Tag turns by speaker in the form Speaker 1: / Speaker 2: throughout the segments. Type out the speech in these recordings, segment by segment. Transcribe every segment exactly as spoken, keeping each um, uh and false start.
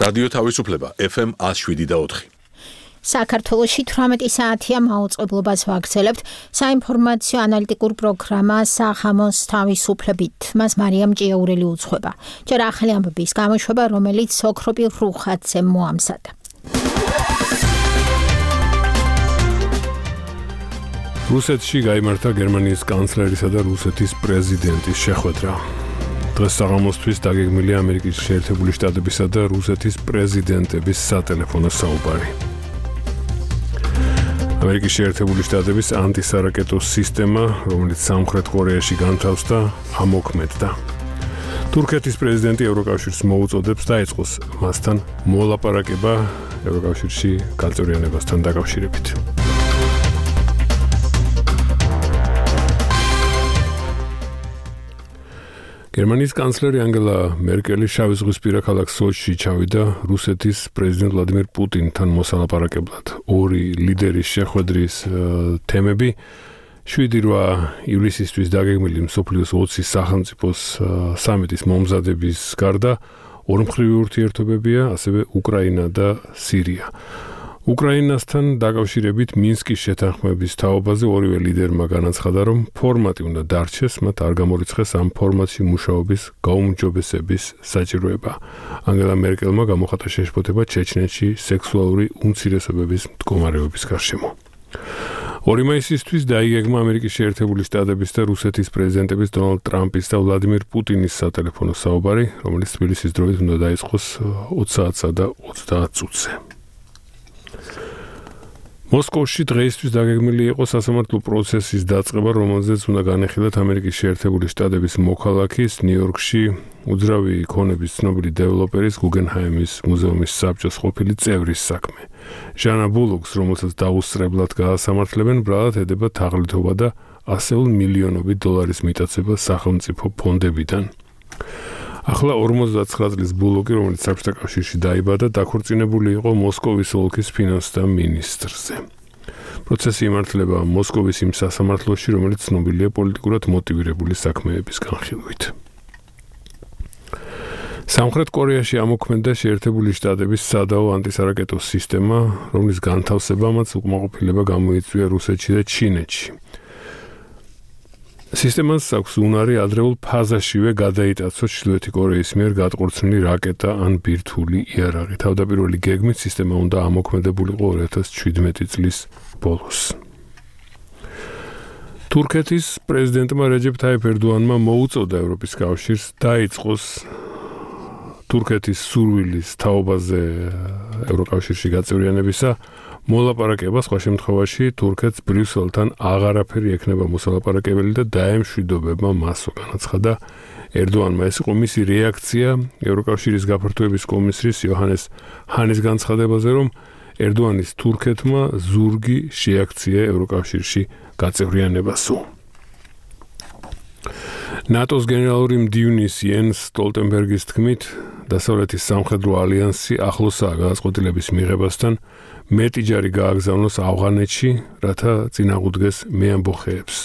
Speaker 1: რადიო თავისუფლება ეფ ემ ათს შვიდი და ოთხი.
Speaker 2: საქართველოში თვრამეტი საათია მაუწყებლობას ვაგრძელებთ საინფორმაციო ანალიტიკურ პროგრამა სახამოს თავისუფლებით. მას მარიამ ჭიაურელი უძღვება. ჯერ ახალი ამბების გამოშვება, რომელიც ოქროპი რუხაძემ მოამზადა.
Speaker 3: რუსეთში გაიმართა გერმანიის კანცლერისა და რუსეთის პრეზიდენტის შეხვედრა. დღეს საღამოსთვის დაგეგმილია ამერიკის შეერთებული შტატებისა და რუსეთის პრეზიდენტების სატელეფონო საუბარი. ამერიკის შეერთებული შტატების ანტისარაკეტო სისტემა, რომელიც სამხრეთ კორეაში განთავსდა, ამოქმედდა. თურქეთის პრეზიდენტი ევროკავშირს მოუწოდებს დაეწყოს მასთან მოლაპარაკება ევროკავშირში გაწევრიანებასთან დაკავშირებით. გერმანიის კანცლერი ანგელა მერკელი შავიზღვისპირა ქალაქ სოჩში ჩავიდა რუსეთის პრეზიდენტ ვლადიმირ პუტინთან მოსალაპარაკებლად. ორი ლიდერის შეხვედრის თემები შვიდი რვა ივლისისთვის დაგეგმილი მსოფლიოს ოცი სახელმწიფოს სამიტის მომზადების გარდა ორმხრივი ურთიერთობებია, ასევე უკრაინა და სირია. უკრაინასთან დაკავშირებით მინსკის შეთანხმების თაობაზე ორივე ლიდერმა განაცხადა, რომ ფორმატი უნდა დარჩეს, მათ არ გამორიცხეს ამ ფორმატში მუშაობის გაუმჯობესების საჭიროება. ანგელა მერკელმა გამოხატა შეშფოთება ჩეჩნეთში სექსუალური უმცირესობების მდგომარეობის გარშემო. ორი მაისისთვის დაიგეგმა ამერიკის შეერთებული შტატების და რუსეთის პრეზიდენტების დონალდ ტრამპის და ვლადიმირ პუტინის სატელეფონო საუბარი, რომელიც თბილისის დროით უნდა დაიწყოს ოცი საათსა და ოცდაათ წუთზე. მოსკოვში დღეისთვის დაგეგმილი იყო სასამართლო პროცესის დაწყება, რომელზეც უნდა განეხილათ ამერიკის შეერთებული შტატების მოქალაქის ნიუ-იორკში უძრავი ქონების ცნობილი დეველოპერის გუგენჰაიმის მუზეუმის საბჭოს ყოფილი წევრის საქმე. ჟანა ბულოკს, რომელსაც დაუსწრებლად გაასამართლებენ, ბრალად ედება თაღლითობა და ასეულ მილიონობით დოლარის მიტაცება სახელმწიფო ფონდებიდან. ახლა ორმოცდაცხრა წლის ბულოკი, რომელიც საბჭოთა კავშირში დაიბადა, დაქორწინებული იყო მოსკოვის ოლქის ფინანსთა მინისტრზე. პროცესი იმართლება მოსკოვის იმ სასამართლოში, რომელიც ცნობილია პოლიტიკურად მოტივირებული საქმეების განხილვით. სამხრეთ კორეაში ამოქმედდა შეერთებული შტატების სადაო ანტისარაკეტო სისტემა, რომლის განთავსებამაც უკმაყოფილება გამოიწვია რუსეთში და ჩინეთში. სისტემას აქვს უნარი ადრეულ ფაზაშივე გადაიტაცოს ჩრდილოეთი კორეის მიერ გადყურცნილი რაკეტა ან ბირთვული იარაღი. თავდაპირველი გეგმით სისტემა უნდა ამოქმედებულიყო ორი ათას შვიდმეტი წლის ბოლოს. თურქეთის პრეზიდენტმა რეჯეფ თაიფ ერდოანმა მოუწოდა ევროპის კავშირს დაიწყოს თურქეთის სურვილის თაობაზე ევროკავშირში გაწევრიანებისა მოლაპარაკება, სხვა შემთხვევაში თურქეთს ბრიუსელთან აღარაფერი ექნება მოსალაპარაკებელი და დაემშვიდობება მასო, განაცხადა ერდოანმა. ეს იყო მისი რეაქცია ევროკავშირის გაფართოების კომისრის იოჰანეს ჰანის განცხადებაზე, რომ ერდოანის თურქეთმა ზურგი შეაქცია ევროკავშირში გაწევრიანებასო. ნატოს გენერალური მდივნის იენს სტოლტენბერგის თქმით, დასავლეთის სამხედრო ალიანსი ახლოსაა გადაწყვეტილების მიღებასთან, მეტიჯარი გააგზავნოს ავღანეთში, რათა წინააღმდეგეს მეამბოხეებს.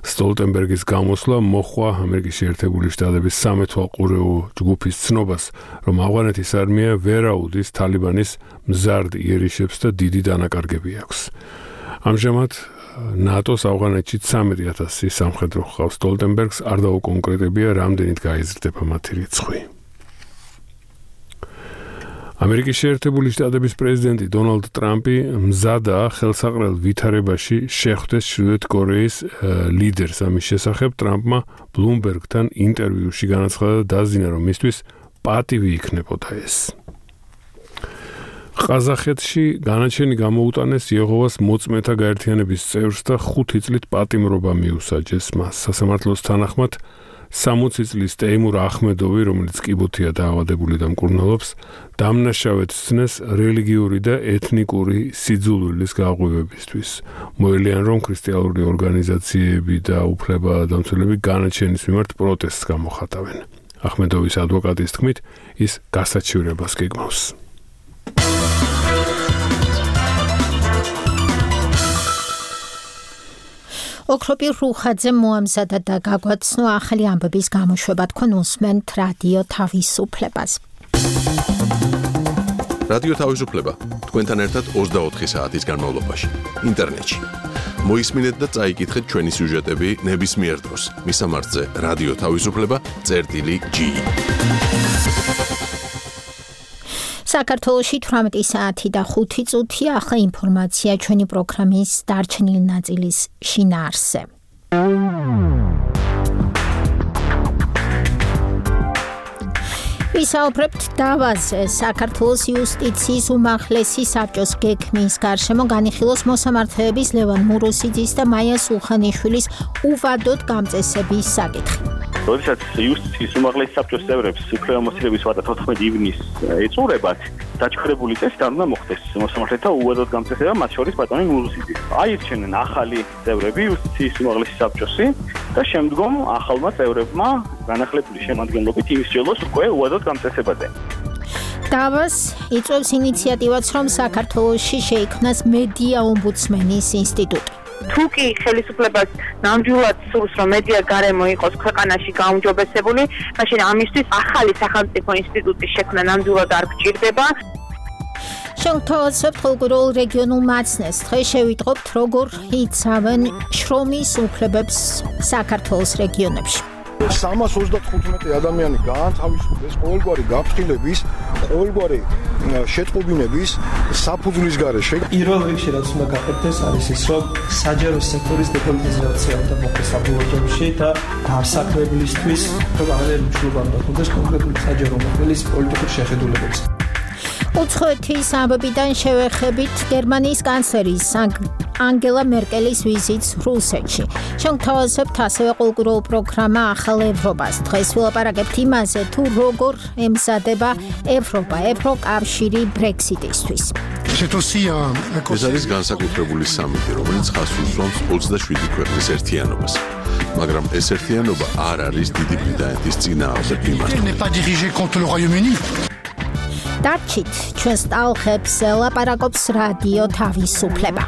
Speaker 3: სტოლტენბერგის გამოსვლა მოჰყვა ამერიკის შეერთებული შტატების სამეთვალყურეო ჯგუფის ცნობას, რომ ავღანეთის არმია ვერ აუდის თალიბანის მზარდ იერიშებს და დიდი დანაკარგები აქვს. ამჟამად ნატოს ავღანეთში ცამეტი ათასი სამხედრო ჰყავს. სტოლტენბერგს არ დაუკონკრეტებია, რამდენით გაიზრდება მათი რიცხვი. ამერიკის შეერთებული შტატების პრეზიდენტი დონალდ ტრამპი მზადაა ხელსაყრელ ვითარებაში შეხვდეს ჩრდილოეთ კორეის ლიდერს. ამის შესახებ ტრამპმა ბლუმბერგთან ინტერვიუში განაცხადა და დაზინა, რომ მისთვის პატივი იქნებოდა ეს. ყაზახეთში განაჩენი გამოუტანეს იეჰოვას მოწმეთა გაერთიანების წევრს და ხუთი წლით პატიმრობა მიუსაჯეს მას. სასამართლოს თანახმად სამოცი წლის ტეიმურ ახმედოვი, რომელიც კიბოთია დაავადებული და მკურნალობს, დამნაშავედ სცნეს რელიგიური და ეთნიკური სიძულვილის გაღვივებისთვის. მოელიან, რომ ქრისტიანული ორგანიზაციები და უფლებადამცველები განაჩენის მიმართ პროტესტს გამოხატავენ. ახმედოვის ადვოკატის თქმით, ის გასაჩივრებას გეგმავს.
Speaker 2: ოქროპი რუხაძე მოამზადა და გაგვაცნო ახალი ამბების გამოშვება, თქვენ უსმენთ რადიო თავისუფლებას.
Speaker 1: რადიო თავისუფლება თქვენთან ერთად ოცდაოთხი საათის განმავლობაში ინტერნეტში. მოისმინეთ და წაიკითხეთ ჩვენი სიუჟეტები ნებისმიერ დროს. მისამართზე რადიო თავისუფლება წერტილი ჯი.
Speaker 2: საქართველოში თვრამეტი საათი და ხუთი წუთი ახლა ინფორმაცია ჩვენი პროგრამის დარჩენილი ნაწილის შინაარსზე. ვისაუბრებთ დავაზე საქართველოს იუსტიციის უმაღლესი საბჭოს გეგმის გარშემო განიხილოს მოსამართლეების ლევან მურუსიძის და მაია სულხანიშვილის უვადოდ გამწესების საკითხი.
Speaker 4: როდესაც იუსტიციის უმაღლესი საბჭოს წევრებს უფლებამოსილების ვადა თოთხმეტი ივნისს ეწურებათ, დაჩქარებული წესით არ უნდა მოხდეს მოსამართლეთა უვადოდ გამწესება, მათ შორის ბატონი მურუსიძის. აირჩენენ ახალი წევრები იუსტიციის უმაღლესი საბჭოსი და შემდგომ ახალმა წევრებმა განახლებული შემადგენლობით იმისჯელოს უკვე უვადოდ გამწესებაზე.
Speaker 2: დავას იწვევს ინიციატივაც, რომ საქართველოში შეიქმნას მედია ომბუდსმენის ინსტიტუტი.
Speaker 5: თუ კი ხელისუფლებას ნამდვილად სურს, რომ მედია გარემო იყოს ქვეყანაში გაუმჯობესებული, მაშინ ამისთვის ახალი სახელმწიფო ინსტიტუტის შექმნა ნამდვილად არ გჭირდება.
Speaker 2: შევთავაზებთ კულტურულ რეგიონულ მაცნეს. დღეს შევიტყობთ, როგორ იცავენ შრომის უფლებებს საქართველოს რეგიონებში.
Speaker 6: სამას ოცდათხუთმეტი ადამიანი გაანთავისუფლეს ყოველგვარი გაფრთხილების, ყოველგვარი შეტყობინების საფუძვლის გარეშე.
Speaker 7: პირველ რიგში რაც უნდა გაკეთდეს არის ის, რომ საჯარო სექტორის დეპოლიტიზაცია უნდა მოხდეს საბოლოოში და დასაქმებლისთვის რომ აღარ მშრომლობა უნდა ხდეს კონკრეტული საჯარო მოხელის პოლიტიკური შეხედულებებს.
Speaker 2: უცხოეთის ამბებიდან შევეხებით გერმანიის კანცლერის ანგელა მერკელის ვიზიტს რუსეთში. შევთავაზებთ ასევე კულტურულ პროგრამა ახალ ევროპას. დღეს ვილაპარაკებთ იმაზე, თუ როგორ ემზადება ევროპა, ევროკავშირი ბრექსიტისთვის.
Speaker 1: ეს არის განსაკუთრებული სამიტი, რომელიც ხაზს უსვამს ოცდაშვიდი ქვეყნის ერთიანობას. მაგრამ ეს ერთიანობა არ არის დიდი ბრიტანეთის წინააღმდეგ მიმართული.
Speaker 2: დარჩით ჩვენს ტალღებს ლაპარაკობს რადიო თავისუფლება.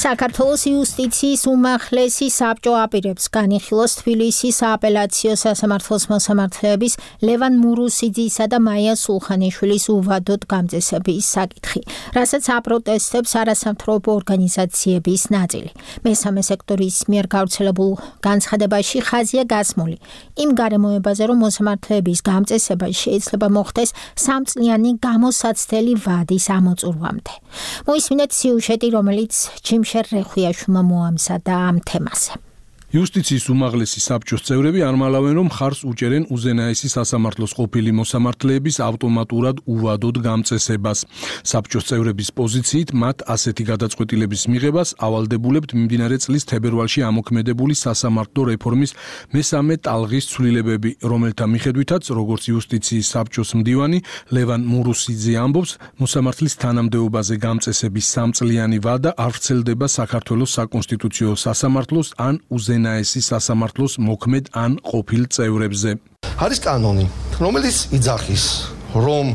Speaker 2: საქართველოს იუსტიციის უმაღლესი საბჭო აპირებს განიხილოს თბილისის სააპელაციო სასამართლოს მოსამართლეების ლევან მურუსიძისა და მაია სულხანიშვილის უვადოდ გამწესების საკითხი, რასაც აპროტესტებს არასამთავრობო ორგანიზაციების ნაწილი. მესამე სექტორის მიერ გავრცელებულ განცხადებაში ხაზია გასმული იმ გარემოებაზე, რომ მოსამართლეების გამწესება შეიძლება მოხდეს სამწლიანი გამოსაცდელი ვადის ამოწურვამდე. მოისმინეთ სიუჟეტი, რომელიც ჯიმშ რეხვიაშვილმა მოამზადა ამ თემაზე.
Speaker 8: იუსტიციის უმაღლესი საბჭოს წევრები არ მალავენ, რომ ხარს უჭერენ უზენაესი სასამართლოს ყოფილი მოსამართლეების ავტომატურად უვადოდ გამწესებას. საბჭოს წევრების პოზიციით მათ ასეთი გადაწყვეტილების მიღებას ავალდებულებთ მიმდინარე წლის თებერვალში ამოქმედებული სასამართლო რეფორმის მესამე ტალღის ცვლილებები, რომელთა მიხედვითაც, როგორც იუსტიციის საბჭოს მდივანი ლევან მურუსიძე ამბობს, მოსამართლის თანამდებობაზე გამწესების სამწლიანი ვადა არ ვრცელდება საქართველოს საკონსტიტუციო სასამართლოს ან უზენაესი ნაესი სასამართლოს მოქმედ ან ყოფილ წევრებზე.
Speaker 9: არის კანონი, რომელიც იძახის, რომ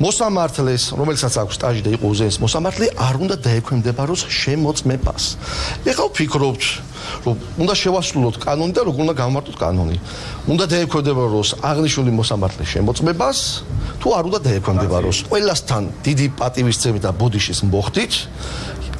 Speaker 9: მოსამართლეს, რომელსაც აქვს სტაჟი და იყო უზენაესი მოსამართლე, არ უნდა დაექვემდებაროს შემოწმებას. ეხლა ვფიქრობთ, რომ უნდა შევასრულოთ კანონი და როგორ უნდა გავმარტოთ კანონი. უნდა დაექვემდებაროს აღნიშნული მოსამართლეს შემოწმებას, თუ არ უნდა დაექვემდებაროს. ყველასთან დიდი პატივისცემით და ბოდიშის მოხდით,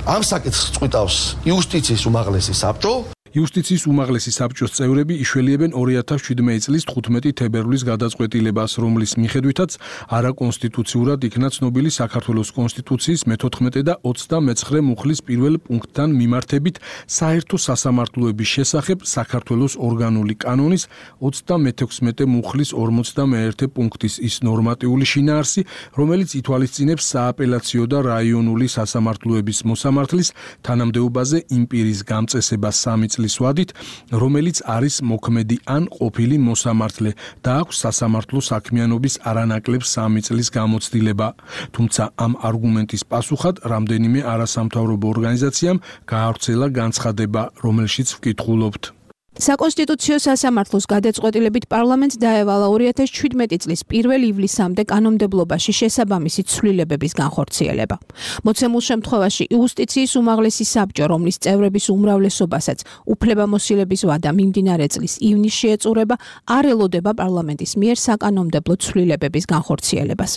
Speaker 9: ამ საკითხს წყვიტავს იუსტიციის უმაღლესი საბჭო.
Speaker 8: იუსტიციის უმაღლესი საბჭოს წევრები იშველიებენ ორი ათას შვიდმეტი წლის თხუთმეტი თებერვლის გადაწყვეტილებას, რომლის მიხედვითაც არაკონსტიტუციურად იქნა ცნობილი საქართველოს კონსტიტუციის მეთოთხმეტე და ოცდამეცხრე მუხლის პირველ პუნქტთან მიმართებით საერთო სასამართლოების შესახებ საქართველოს ორგანული კანონის ოცდამეთექვსმეტე მუხლის ორმოცდამეერთე პუნქტის ის ნორმატიული შინაარსი, რომელიც ითვალისწინებს სააპელაციო და რაიონული სასამართლოების მოსამართლის თანამდებობაზე იმპირის გამწესებას სამი წლის ვადით, რომელიც არის მოქმედი ან ყოფილი მოსამართლე და აქვს სასამართლო საქმიანობის არანაკლებ სამი წლის გამოცდილება. თუმცა ამ არგუმენტის პასუხად რამდენიმე არასამთავრობო ორგანიზაციამ გაავრცელა განცხადება, რომელშიც ვკითხულობთ.
Speaker 10: საკონსტიტუციო სასამართლოს გადაწყვეტილებით პარლამენტს დაევალა ორი ათას შვიდმეტი წლის პირველ ივლისამდე კანონმდებლობაში შესაბამისი ცვლილებების განხორციელება. მოცემულ შემთხვევაში იუსტიციის უმაღლესი საბჭო, რომლის წევრების უმრავლესობასაც უფლებამოსილების ვადა მიმდინარე წლის ივნისში ეწურება, არ ელოდება პარლამენტის მიერ საკანონმდებლო ცვლილებების განხორციელებას.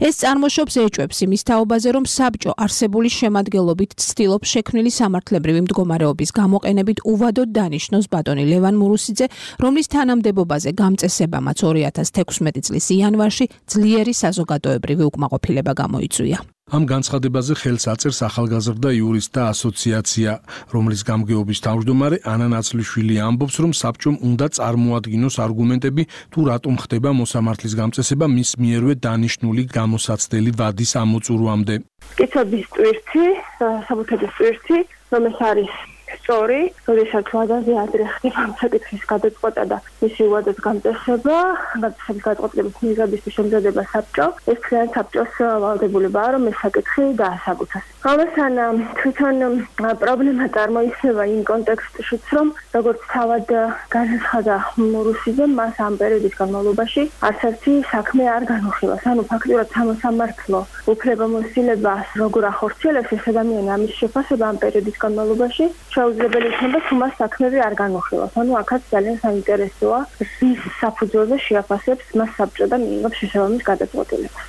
Speaker 10: ეს წარმოშობს ეჭვებს იმის თაობაზე, რომ საბჭო არსებული შემადგენლობით ცდილობს შექმნილი სამართლებრივი მდგომარეობის გამოყენებით უვადოდ დანიშნოს ბატონი ლევან მურუსიძე, რომლის თანამდებობაზე გამწესებამაც ორი ათას თექვსმეტი წლის იანვარში ძლიერი საზოგადოებრივი უკმაყოფილება გამოიწვია.
Speaker 8: ამ განცხადებაზე ხელს აწერს ახალგაზრდა იურისტთა ასოციაცია, რომლის გამგეობის თავმჯდომარე ანა ნაცლიშვილი ამბობს, რომ საბჭომ უნდა წარმოადგინოს არგუმენტები, თუ რატომ ხდება მოსამართლის გამწესება მის მიერვე დანიშნული გამოსაცდელი ვადის ამოწურვამდე.
Speaker 5: კითხვების ტვირთი, საბუთების ტვირთი, რომ ეს არის სწორი, როდესაც ვადაზე ადრე ხდება ამ საკითხის გადაწყვეტა და მისი ვადას გამწესება, გადაწყვეტის გადაწყვეტილების მიღებისთვის შემზადება საბჭო, ეს ძალიან საბჭოს ვალდებულებაა, რომ ეს საკითხი დაასაბუთოს. ამასთან თვითონ პრობლემა წარმოიქმნება იმ კონტექსტშიც, რომ როგორც თავად განაცხადა მურუსიძემ, მას ამ პერიოდის განმავლობაში არც ერთი საქმე არ განუხილავს. ანუ ფაქტობრივად სამოსამართლო უფლებამოსილებას როგორ ახორციელებს ეს ადამიანი ამის შეფასება ამ პერიოდის განმავლობაში შეუძლებელი იქნება თუ მას საქმეები არ განუხილავს. ანუ აქაც ძალიან საინტერესოა, რის საფუძველზე შეაფასებს მას საბჭო და მიიღებს შესაბამის გადაწყვეტილებას.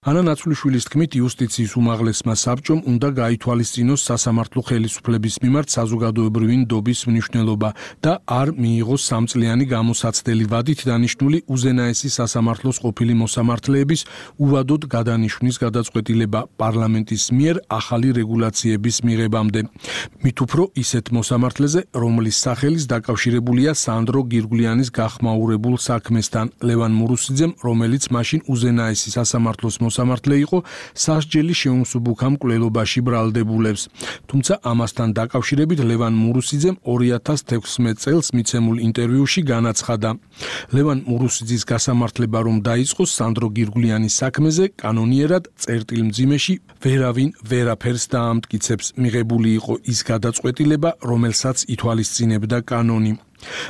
Speaker 8: ანა ნაცვლიშვილის თქმით, იუსტიციის უმაღლესმა საბჭომ უნდა გაითვალისწინოს სასამართლო ხელისუფლების მიმართ საზოგადოებრივი ნდობის მნიშვნელობა და არ მიიღოს სამწლიანი გამოსაცდელი ვადით დანიშნული უზენაესი სასამართლოს ყოფილი მოსამართლეების უვადოდ გადანიშვნის გადაწყვეტილება პარლამენტის მიერ ახალი რეგულაციების მიღებამდე. მით უფრო ისეთ მოსამართლეზე, რომლის სახელის დაკავშირებულია სანდრო გირგვლიანის გახმაურებულ საქმესთან, ლევან მურუსიძემ, რომელიც მაშინ უზენაესი სასამართლოს მოსამართლე იყო, სასჯელი შეუმსუბუქა მკვლელობაში ბრალდებულებს. თუმცა ამასთან დაკავშირებით ლევან მურუსიძემ ორი ათას თექვსმეტ წელს მიცემულ ინტერვიუში განაცხადა. ლევან მურუსიძის გასამართლება რომ დაიწყოს სანდრო გირგვლიანის საქმეზე, კანონიერად წერტილმძიმეში ვერავინ ვერაფერს დაამტკიცებს. მიღებული იყო ის გადაწყვეტილება, რომელსაც ითვალისწინებდა კანონი.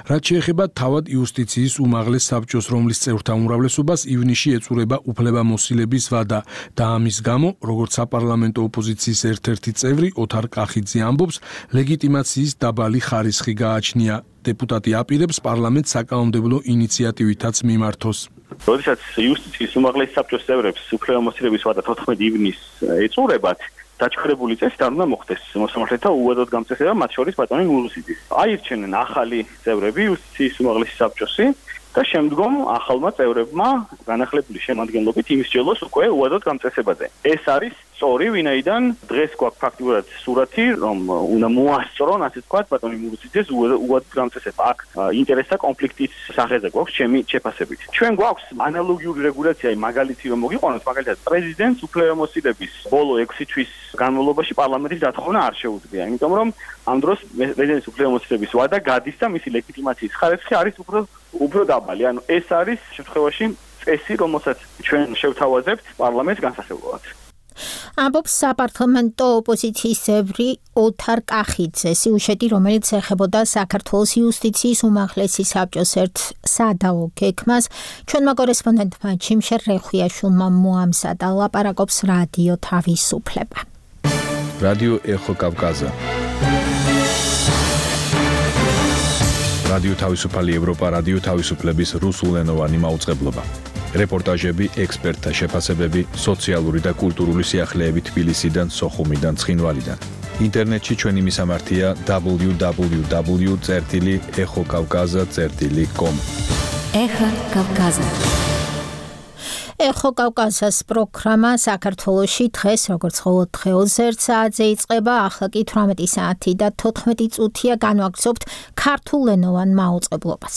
Speaker 8: რაც შეეხება თავად იუსტიციის უმაღლეს საბჭოს, რომლის წევრთა უმრავლესობას ივნისში ეწურება უფლებამოსილების ვადა და ამის გამო, როგორც საპარლამენტო ოპოზიციის ერთ-ერთი წევრი ოთარ კახიძე ამბობს, ლეგიტიმაციის დაბალი ხარისხი გააჩნია. დეპუტატი აპირებს პარლამენტს საკანონმდებლო ინიციატივითაც მიმართოს.
Speaker 4: როდესაც იუსტიციის უმაღლეს საბჭოს წევრებს უფლებამოსილების ვადა თოთხმეტი ივნისს ეწურებათ, დაჩქარებული წესი არ უნდა მოხდეს მოსამართლეთა უვადოდ გამწესება, მათ შორის ბატონი მურუსიძის. აირჩენენ ახალი წევრები იუსტიციის უმაღლესი საბჭოსი და შემდგომ ახალმა წევრებმა განახლებული შემადგენლობით იმისჯელოს უკვე უვადოდ გამწესებაზე. ეს არის სწორი, ვინაიდან დღეს გვაქვს ფაქტიურად სურათი, რომ უნდა მოასწრონ, ასე ვთქვათ, ბატონი მურუსიძეს უვადოდ გამწესება. აქ ინტერესთა კონფლიქტის სახეზე გვაქვს ჩემი შეფასებით. ჩვენ გვაქვს ანალოგიური რეგულაცია, მაგალითი რომ მოგიყვანოთ, მაგალითად პრეზიდენტს უფლებამოსილების ბოლო ექვსი თვის განმავლობაში პარლამენტის დათხოვნა არ შეუძლია, იმიტომ რომ ამ დროს პრეზიდენტის უფლებამოსილების ვადა გადის და მისი ლეგიტიმაციის ხარისხი არის უფრო უფრო დაბალი. ანუ ეს არის შემთხვევაში წესი, რომელსაც ჩვენ შევთავაზებთ პარლამენტს განსახილველად.
Speaker 2: ამბობს საპარლამენტო ოპოზიციის წევრი ოთარ კახიძე, სიუჟეტი, რომელიც ეხებოდა საქართველოს იუსტიციის უმაღლესი საბჭოს ერთ სადაო გეგმას, ჩვენმა კორესპონდენტმა ჩიმშერ რეხვიაშვილმა მოამზადა, ლაპარაკობს რადიო თავისუფლება.
Speaker 11: რადიო ეხო კავკაზა. რადიო თავისუფალი ევროპა, რადიო თავისუფლების რუსულენოვანი მაუწყებლობა. რეპორტაჟები, ექსპერტთა შეფასებები, სოციალური და კულტურული სიახლეები თბილისიდან, სოხუმიდან, ცხინვალიდან. ინტერნეტში ჩვენი მისამართია დაბლიუ დაბლიუ დაბლიუ წერტილი ეხო კავკაზა წერტილი კომ.
Speaker 2: ეხო კავკაზა. ეხო კავკაზას პროგრამა საქართველოში დღეს როგორც ყოველ დღეოს ერთ საათზე იწყება, ახლა კი თვრამეტი საათი და თოთხმეტი წუთია განვაგრძობთ ქართულენოვან მაუწყებლობას.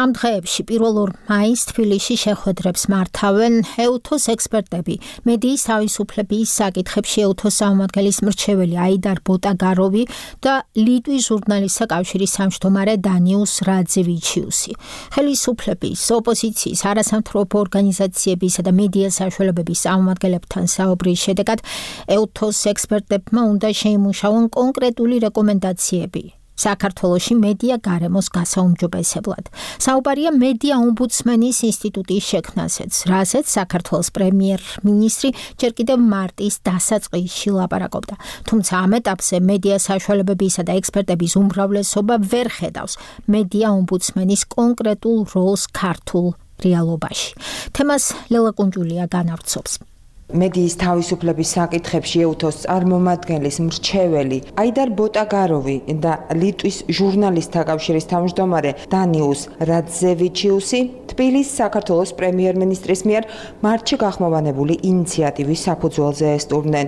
Speaker 2: ამ დღეებში პირველ ორ მაისს თბილისში შეხვედრებს მართავენ ეუთოს ექსპერტები, მედიის თავისუფლების საკითხებში ეუთოს წარმომადგენლის მრჩეველი აიდარ ბოტაგაროვი და ლიტვის ჟურნალისტთა კავშირის თავმჯდომარე დანიუს რაძევიჩიუსი. ხელისუფლების, ოპოზიციის, არასამთავრობო ორგანიზაციების და მედია საშუალებების წარმომადგენლებთან საუბრის შედეგად ეუთოს ექსპერტებმა უნდა შეიმუშაონ კონკრეტული რეკომენდაციები, საქართველოში მედია გარემოს გასაუმჯობესებლად. საუბარია მედია ომბუდსმენის ინსტიტუტის შექმნასაც, რასაც საქართველოს პრემიერ-მინისტრი ჯერ კიდევ მარტის დასაწყისში ლაპარაკობდა. თუმცა ამ ეტაპზე მედია საშუალებებისა და ექსპერტების უმრავლესობა ვერ ხედავს მედია ომბუდსმენის კონკრეტულ როლს ქართულ რეალობაში. თემას ლელა კუნჯულია განავრცობს.
Speaker 12: მედიის თავისუფლების საკითხებში ეუთოს წარმომადგენლის მრჩეველი აიდარ ბოტაგაროვი და ლიტვის ჟურნალისტთა კავშირის თავმჯდომარე დანიუს რადზევიჩიუსი თბილისის საქართველოს პრემიერ-მინისტრის მიერ მარტში გახმოვანებული ინიციატივის საფუძველზე ესტუმრნენ.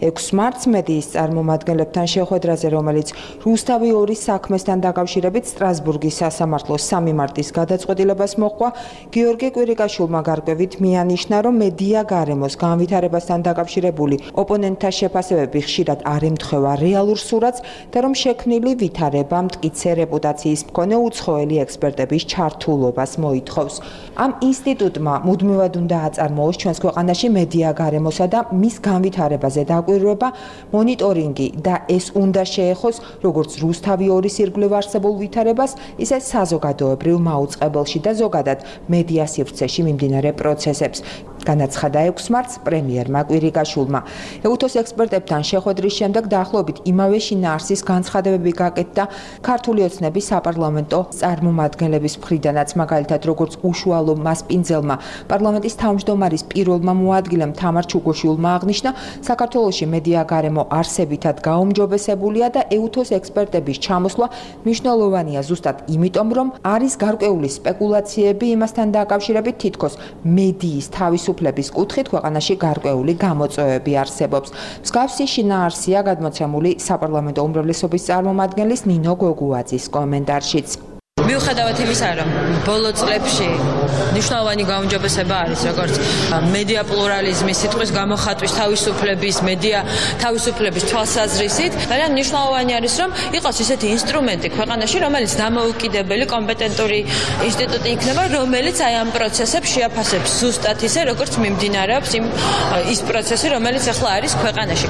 Speaker 12: ექვსი მარტს მედიის წარმომადგენლებთან შეხვედრაზე, რომელიც რუსთავი ორის საქმესთან დაკავშირებით სტრასბურგის სასამართლოს სამი მარტის გადაწყვეტილებას მოჰყვა, გიორგი კვირიკაშვილმა გარკვევით მიანიშნა, რომ მედია გარემოს განვითარებასთან დაკავშირებული ოპონენტთა შეფასებები ხშირად არ ემთხვევა რეალურ სურათს და რომ შექმნილი ვითარება მტკიცე რეპუტაციის მქონე უცხოელი ექსპერტების ჩართულობას მოითხოვს. ამ ინსტიტუტმა მუდმივად უნდა აწარმოოს ჩვენს ქვეყანაში მედია გარემოსა და მის განვითარებაზე დაკვირვება, მონიტორინგი და ეს უნდა შეეხოს როგორც რუსთავი ორის ირგვლივ არსებულ ვითარებას, ისე საზოგადოებრივ მაუწყებელში და ზოგადად მედია სივრცეში მიმდინარე პროცესებს. განაცხადა ექვსი მარტს პრემიერმა კვირიკაშვილმა. ეუთოს ექსპერტებთან შეხვედრის შემდეგ დაახლოებით იმავე შინაარსის განცხადებები გაკეთდა ქართული ოცნების საპარლამენტო წარმომადგენლების მხრიდანაც, მაგალითად როგორც უშუალო მასპინძელმა პარლამენტის თავმჯდომარის პირველმა მოადგილემ თამარ ჩუგოშვილმა აღნიშნა, საქართველოში მედია გარემო არსებითად გაუმჯობესებულია და ეუთოს ექსპერტების ჩამოსვლა მნიშვნელოვანია ზუსტად იმიტომ, რომ არის გარკვეული სპეკულაციები იმასთან დაკავშირებით, თითქოს მედიის თავისუფლების კუთხით ქვეყანაში გარკვეული გამოწვევები არსებობს. მსგავსი შინაარსია გადმოცემული საპარლამენტო უმრავლესობის წარმომადგენლის ნინო გოგუაძის კომენტარშიც.
Speaker 13: მიუხედავად იმისა, რომ ბოლო წლებში მნიშვნელოვანი გაუმჯობესება არის, როგორც მედია პლურალიზმის, სიტყვის გამოხატვის თავისუფლების, მედია თავისუფლების თვალსაზრისით, ძალიან მნიშვნელოვანი არის, რომ იყოს ისეთი ინსტრუმენტი ქვეყანაში, რომელიც დამოუკიდებელი, კომპეტენტური ინსტიტუტი იქნება, რომელიც აი ამ პროცესებს შეაფასებს ზუსტად ისე, როგორც მიმდინარეობს იმ ის პროცესი, რომელიც ახლა არის ქვეყანაში.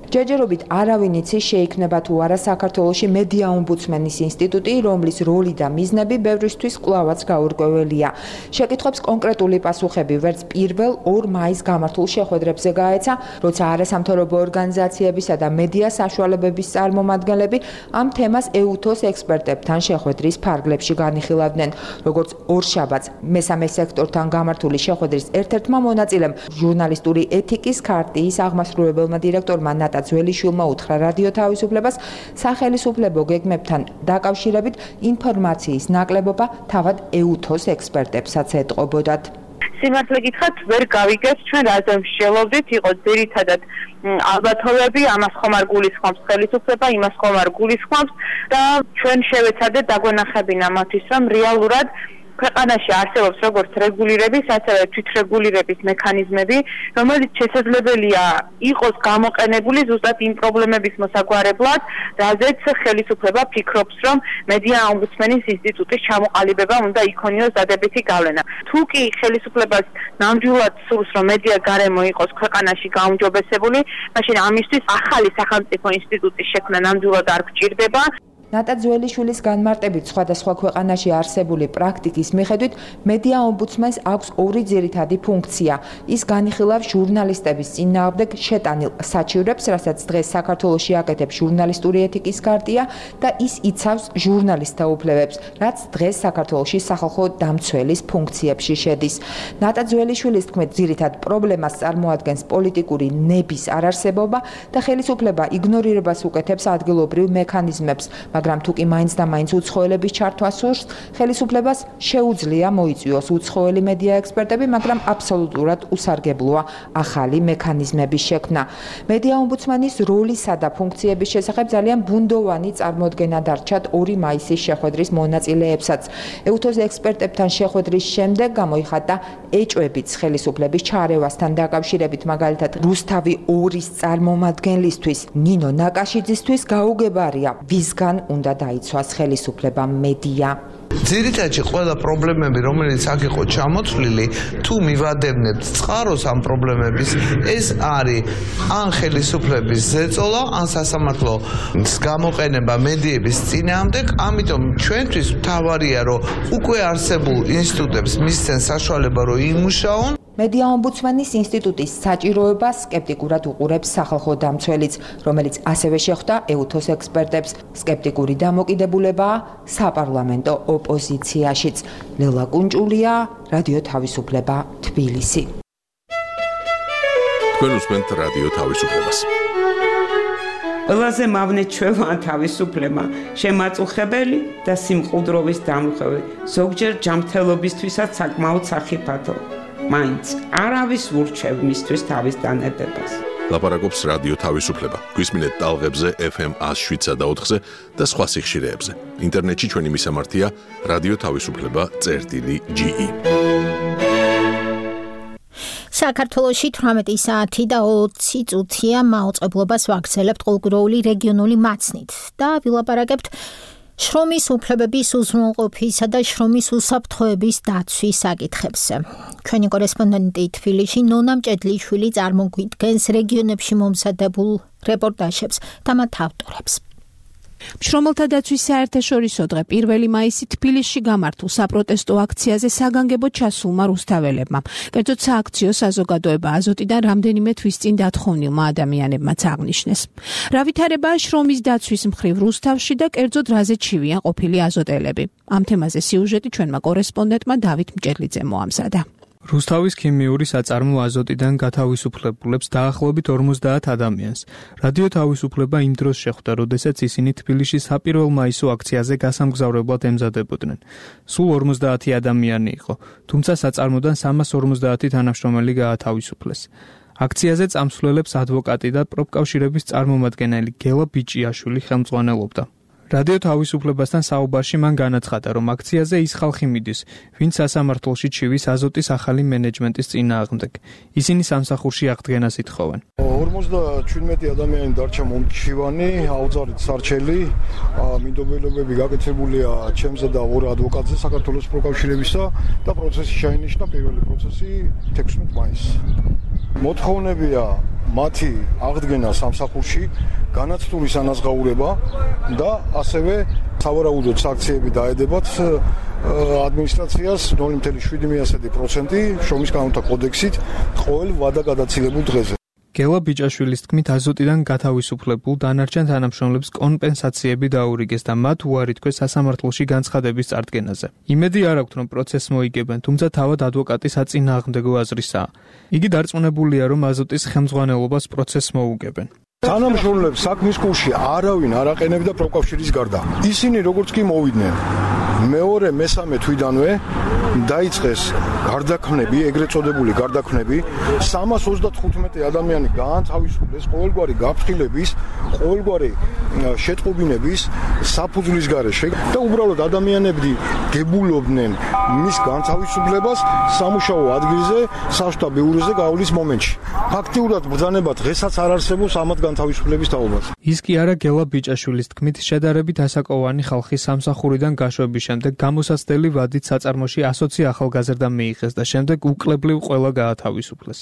Speaker 12: ჯერჯერობით არავინ იცის შეიქმნება თუ არა საქართველოში მედია ომბუდსმენის ინსტიტუტი, რომლის როლი და მიზნები ბევრისთვის კვლავაც გაურკვეველია. შეკითხვებს კონკრეტული პასუხები ვერც პირველ ორ მაისს გამართულ შეხვედრებზე გაეცა, როცა არასამთავრობო ორგანიზაციებისა და მედია საშუალებების წარმომადგენლები ამ თემას ეუთოს ექსპერტებთან შეხვედრის ფარგლებში განიხილავდნენ. როგორც ორშაბათს მესამე სექტორთან გამართული შეხვედრის ერთ-ერთმა მონაწილემ, ჟურნალისტური ეთიკის ქარტიის აღმასრულებელმა დირექტორმა ნატა ძველიშვილმა უთხრა რადიო თავისუფლებას, სახელისუფლებო გეგმებთან დაკავშირებით ინფორმაციის ნაკლებობა თავად ეუთოს ექსპერტებსაც ეტყობოდათ.
Speaker 5: სიმართლე გითხრათ, ვერ გავიგეთ ჩვენ რაზე მსჯელობდით, იყო ძირითადად ალბათობები, ამას ხომ არ გულისხმობს ხელისუფლება, იმას ხომ არ გულისხმობს და ჩვენ შევეცადეთ დაგვენახებინა მათთვის, რომ რეალურად ქვეყანაში არსებობს როგორც რეგულირების, ასევე თვითრეგულირების მექანიზმები, რომელიც შესაძლებელია იყოს გამოყენებული ზუსტად იმ პრობლემების მოსაგვარებლად, რაზეც ხელისუფლება ფიქრობს, რომ მედია ომბუდსმენის ინსტიტუტის ჩამოყალიბება უნდა იქონიოს დადებითი გავლენა. თუ კი ხელისუფლებას ნამდვილად სურს, რომ მედია გარემო იყოს ქვეყანაში გაუმჯობესებული, მაშინ ამისთვის ახალი სახელმწიფო ინსტიტუტის შექმნა ნამდვილად არ გჭირდება.
Speaker 12: ნატა ძველიშვილის განმარტებით სხვადასხვა ქვეყანაში არსებული პრაქტიკის მიხედვით მედია ომბუდსმენს აქვს ორი ძირითადი ფუნქცია. ის განიხილავს ჟურნალისტების წინააღმდეგ შეტანილ საჩივრებს, რასაც დღეს საქართველოში აკეთებს ჟურნალისტური ეთიკის ქარტია და ის იცავს ჟურნალისტთა უფლებებს, რაც დღეს საქართველოში სახალხო დამცველის ფუნქციებში შედის. ნატა ძველიშვილის თქმით, ძირითად პრობლემას წარმოადგენს პოლიტიკური ნების არარსებობა და ხელისუფლება იგნორირებას უკეთებს ადგილობრივ მექანიზმებს. მაგრამ თუ კი მაინც და მაინც უცხოელების ჩართვა სურს, ხელისუფლებას შეუძლია მოიწვიოს უცხოელი მედია ექსპერტები, მაგრამ აბსოლუტურად უსარგებლოა ახალი მექანიზმების შექმნა. მედია ომბუდსმენის როლისა და ფუნქციების შესახებ ძალიან ბუნდოვანი წარმოდგენა დარჩათ ორი მაისის შეხვედრის მონაწილეებსაც. ეუთოს ექსპერტებთან შეხვედრის შემდეგ გამოიხატა ეჭვებიც ხელისუფლების ჩარევასთან დაკავშირებით, მაგალითად რუსთავი ორის წარმომადგენლისთვის ნინო ნაკაშიძისთვის გაუგებარია, ვისგან უნდა დაიცვას ხელისუფლება მედია.
Speaker 14: ძირითადად ყველა პრობლემები, რომელიც აქ იყო ჩამოთვლილი, თუ მივადევნებთ წყაროს ამ პრობლემების, ეს არის ან ხელისუფლების ზეწოლა, ან სასამართლოს გამოყენება მედიების წინააღმდეგ, ამიტომ ჩვენთვის მთავარია, რომ უკვე არსებულ ინსტიტუტებს მისცენ საშუალება, რომ იმუშაონ.
Speaker 12: მედია ომბუდსმენის ინსტიტუტის საჭიროებას სკეპტიკურად უყურებს სახალხო დამცველიც, რომელიც ასევე შეხვდა ეუთოს ექსპერტებს. სკეპტიკური დამოკიდებულებაა საპარლამენტო ოპოზიციაშიც. ლელა კუნჭულია, რადიო თავისუფლება, თბილისი.
Speaker 1: თქვენ უსმენთ რადიო თავისუფლებას.
Speaker 15: ყველაზე მავნე ჩვევა თავისუფლება, შემაწუხებელი და სიმყუდროვის დამხები, ზოგჯერ ჯანმრთელობისთვისაც საკმაოდ სახიფათო. მაინც არავის ურჩევ მისთვის თავის დანებებას.
Speaker 1: ლაპარაკობს რადიო თავისუფლება. გვისმინეთ ტალღებზე ეფ ემ ას შვიდსა და ოთხზე და სხვა სიხშირეებზე. ინტერნეტში ჩვენი მისამართია რადიო თავისუფლება წერტილი ჯი ი.
Speaker 2: საქართველოში თვრამეტი საათი და ოცი წუთია მაუწყებლობას ვაგრძელებთ ყოველგვარული რეგიონული მაცნით და ვილაპარაკებთ შრომის უფლებების უზრუნველყოფისა და შრომის უსაფრთხოების დაცვის საკითხებზე. ჩვენი კორესპონდენტი თბილისში ნონა მჭედლიშვილი წარმოგვიდგენს რეგიონებში მომზადებულ რეპორტაჟებს და მათ ავტორებს.
Speaker 10: შრომელთა დაცვის საერთაშორისო დღე პირველი მაისი თბილისში გამართულ საპროტესტო აქციაზე საგანგებოდ ჩასულმა რუსთაველებმა. კერძოდ სააქციო საზოგადოება აზოტიდან რამდენიმე თვის წინ დათხოვნილმა ადამიანებმაც აღნიშნეს. რა ვითარებაა შრომის დაცვის მხრივ რუსთავში და კერძოდ რაზე ჩივიან ყოფილი აზოტელები. ამ თემაზე სიუჟეტი ჩვენმა კორესპონდენტმა დავით მჭედლიძემ მოამზადა.
Speaker 16: რუსთავის ქიმიური საწარმო აზოტიდან გათავისუფლებულებს დაახლოებით ორმოცდაათ ადამიანს. რადიო თავისუფლება იმ დროს შეხვდა, როდესაც ისინი თბილისში საპირველ მაისო აქციაზე გასამგზავრებლად ემზადებოდნენ. სულ ორმოცდაათი ადამიანი იყო, თუმცა საწარმოდან სამას ორმოცდაათი თანამშრომელი გაათავისუფლეს. აქციაზე წამსვლელებს ადვოკატი და პროფკავშირების წარმომადგენელი გელა ბიჭიაშვილი ხელმძღვანელობდა. რადიო თავისუფლებასთან საუბარში მან განაცხადა, რომ აქციაზე ის ხალხი მიდის, ვინც სასამართლოში ჩივის აზოტის ახალი მენეჯმენტის წინააღმდეგ. ისინი სამსახურში აღდგენას ითხოვენ.
Speaker 6: ორმოცდაჩვიდმეტი ადამიანი დარჩა მომჩივანი, აუძარით სარჩელი, მინდობელობები გაკეთებულია ჩემზე და ორ ადვოკატზე საქართველოს პროფკავშირებისა და პროცესი შეინიშნა პირველი პროცესი თექვსმეტ მაისს. მოთხოვნებია მათი აღდგენა სამსახურში, განაცდულის ანაზღაურება და ასევე სავარაუდოდ საქციები დაედებათ ადმინისტრაციას ნული კომა შვიდი პროცენტი შრომის კანონთა კოდექსით ყოველ ვადაგადაცილებულ დღეზე.
Speaker 16: გელა ბიჭაშვილის თქმით, აზოტიდან გათავისუფლებულ დანარჩენ თანამშრომლებს კომპენსაციები დაურიგეს და მათ უარი თქვეს სასამართლოში განცხადების წარდგენაზე. იმედი არ აქვთ, რომ პროცესს მოიგებენ, თუმცა თავად ადვოკატის აწინააღმდეგო აზრისაა. იგი დარწმუნებულია, რომ აზოტის ხელმძღვანელობას პროცესს მოუგებენ.
Speaker 6: თანამშრომლებს საქმის კურსში არავინ არ აყენებდა პროფკავშირის გარდა. ისინი როგორც კი მოვიდნენ, მეორე მესამე თვიდანვე დაიწყეს გარდაქმნები, ეგრეთ წოდებული გარდაქმნები, სამას ოცდათხუთმეტი ადამიანი გაანთავისუფლეს ყოველგვარი გაფრთხილების, ყოველგვარი შეტყობინების საფუძვლის გარეშე და უბრალოდ ადამიანები გებულობდნენ მის განთავისუფლებას სამუშაო ადგილზე, საშტაბ ბიუროზე გავლის მომენტში. ფაქტიურად ბრძანება დღესაც არ არსებობს ამათ განთავისუფლების თაობას.
Speaker 16: ის კი არა გელა ბიჭაშვილის თქმით, შედარებით ასაკოვანი ხალხი სამსახურიდან გაშვების შემდეგ გამოსაცდელი ვადით საწარმოში ასოცი ახალგაზრდა მიიღეს და შემდეგ უკლებლივ ყველა გაათავისუფლეს.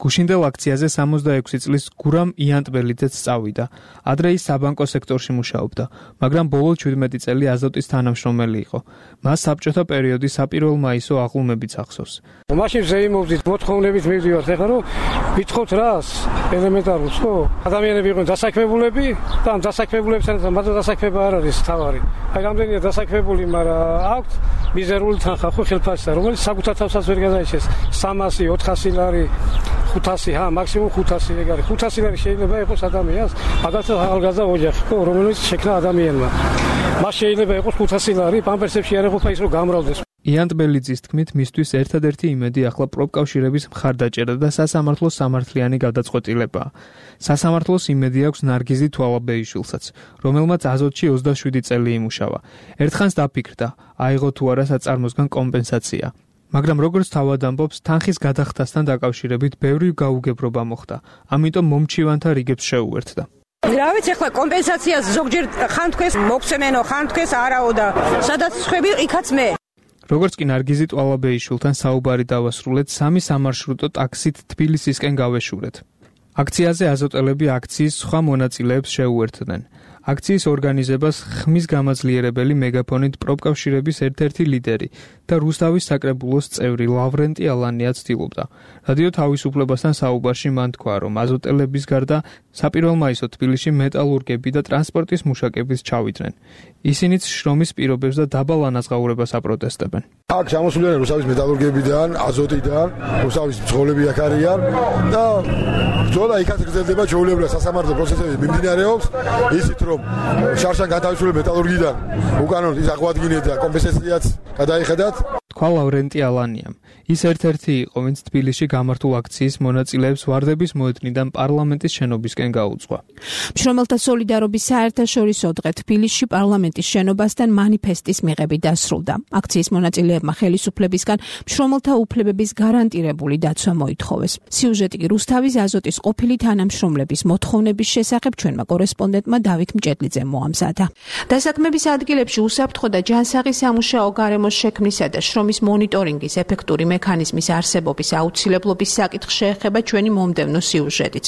Speaker 16: გუშინდელ აქციაზე სამოცდაექვსი წლის გურამ იანტბელიძეც წავიდა. ადრე ის საბანკო სექტორში მუშაობდა, მაგრამ ბოლო ჩვიდმეტი წელი აზოტის თანამშრომელი იყო. მას საბჭოთა პერიოდის საპირველ მაისო აღლუმებიც ახსოვს.
Speaker 17: მაშინ ზეიმობდით მოთხოვნებით მივდივართ, ეხლა რომ ვითხოვთ რას? ელემენტარულს ხო? ადამიანები იყვნენ დასაქმებულები და ამ დასაქმებულებთან მათ დასაქმება არ არის თავარი. აი რამდენია დასაქმებული, მაგრამ აქვთ მიზერული თანხა ხო ხელფასისა, რომელიც საკუთარ თავსაც ვერ გადაიჭერს. სამასი, ოთხასი ლარი, ხუთასი, ჰა, მაქსიმუმ ხუთასი ეგ არის. ხუთასი ლარი შეიძლება იყოს ადამიანს, მაგალითად ახალგაზრდა ოჯახი, ხო, რომელიც შექმნა ადამიანმა. მას შეიძლება იყოს ხუთასი ლარი, პამპერსებში არ ეყოფა ის რომ გამრავლდეს.
Speaker 16: იანტბელიძის თქმით, მისთვის ერთადერთი იმედი ახლა პროფკავშირების მხარდაჭერა და სასამართლოს სამართლიანი გადაწყვეტილებაა. სასამართლოს იმედი აქვს ნარგიზი თვალაბეიშვილსაც, რომელმაც აზოტში ოცდაშვიდი წელი იმუშავა. ერთხანს დაფიქრდა, აიღო თუ არა საწარმოსგან კომპენსაცია. მაგრამ როგორც თავად ამბობს, თანხის გადახდასთან დაკავშირებით ბევრი გაუგებრობა მოხდა, ამიტომ მომჩივანთა რიგებს შეუერთდა.
Speaker 18: რა ვიცი, ახლა კომპენსაციას ზოგჯერ ხან თქვეს მოგცემენო, ხან თქვეს არაო და სადაც ხვები, იქაც მე.
Speaker 16: როგორც კი ნარგიზი ტვალაბეიშვილთან საუბარი დავასრულეთ, სამი სამარშრუტო ტაქსით თბილისისკენ გავეშურეთ. აქციაზე აზოტელები აქციის სხვა მონაწილეებს შეუერთდნენ. აქციის ორგანიზებას ხმის გამაძლიერებელი მეგაფონით პროფკავშირების ერთ-ერთი ლიდერი და რუსთავის საკრებულოს წევრი ლავრენტი ალანია ცდილობდა. რადიო თავისუფლებასთან საუბარში მან თქვა, რომ აზოტელების გარდა საპირველ მაისო თბილისში მეტალურგები და ტრანსპორტის მუშაკებიც ჩავიდნენ. ისინიც შრომის პირობებს და დაბალ ანაზღაურებას აპროტესტებენ.
Speaker 6: აქ ჩამოსულიან რუსთავის მეტალურგებიდან, აზოტიდან, რუსთავის მძღოლები აქ არიან და ბრძოლა იქაც გრძელდება, ჩვეულებრივ სასამართლო პროცესები მიმდინარეობს, ისიც რომ შარშან გათავისუფლებული მეტალურგიდან უკანონოდ ის აღვადგინეთ და კომპენსაციაც გადაიხედათ. თქვა ლავრენტი ალანიამ. ის ერთ-ერთი იყო, ვინც თბილისში გამართულ აქციის მონაწილეებს ვარდების მოედნიდან პარლამენტის შენობისკენ გაუძღვა.
Speaker 10: მშრომელთა სოლიდარობის საერთაშორისო დღე თბილისში პარლამენტის შენობასთან მანიფესტის მიღებით დასრულდა. აქციის მონაწილეებმა ხელისუფლებისგან მშრომელთა უფლებების გარანტირებული დაცვა მოითხოვეს. სიუჟეტი რუსთავის აზოტის ყოფილი თანამშრომლების მოთხოვნების შესახებ ჩვენმა კორესპონდენტმა დავით მჭედლიძემ მოამზადა. დასაქმების ადგილებში უსაფრთხო და ჯანსაღი სამუშაო გარემოს შექმნისა და შრომის მონიტორინგის ეფექტური მექანიზმის არსებობის აუცილებლობის საკითხს შეეხება ჩვენი მომდევნო სიუჟეტიც.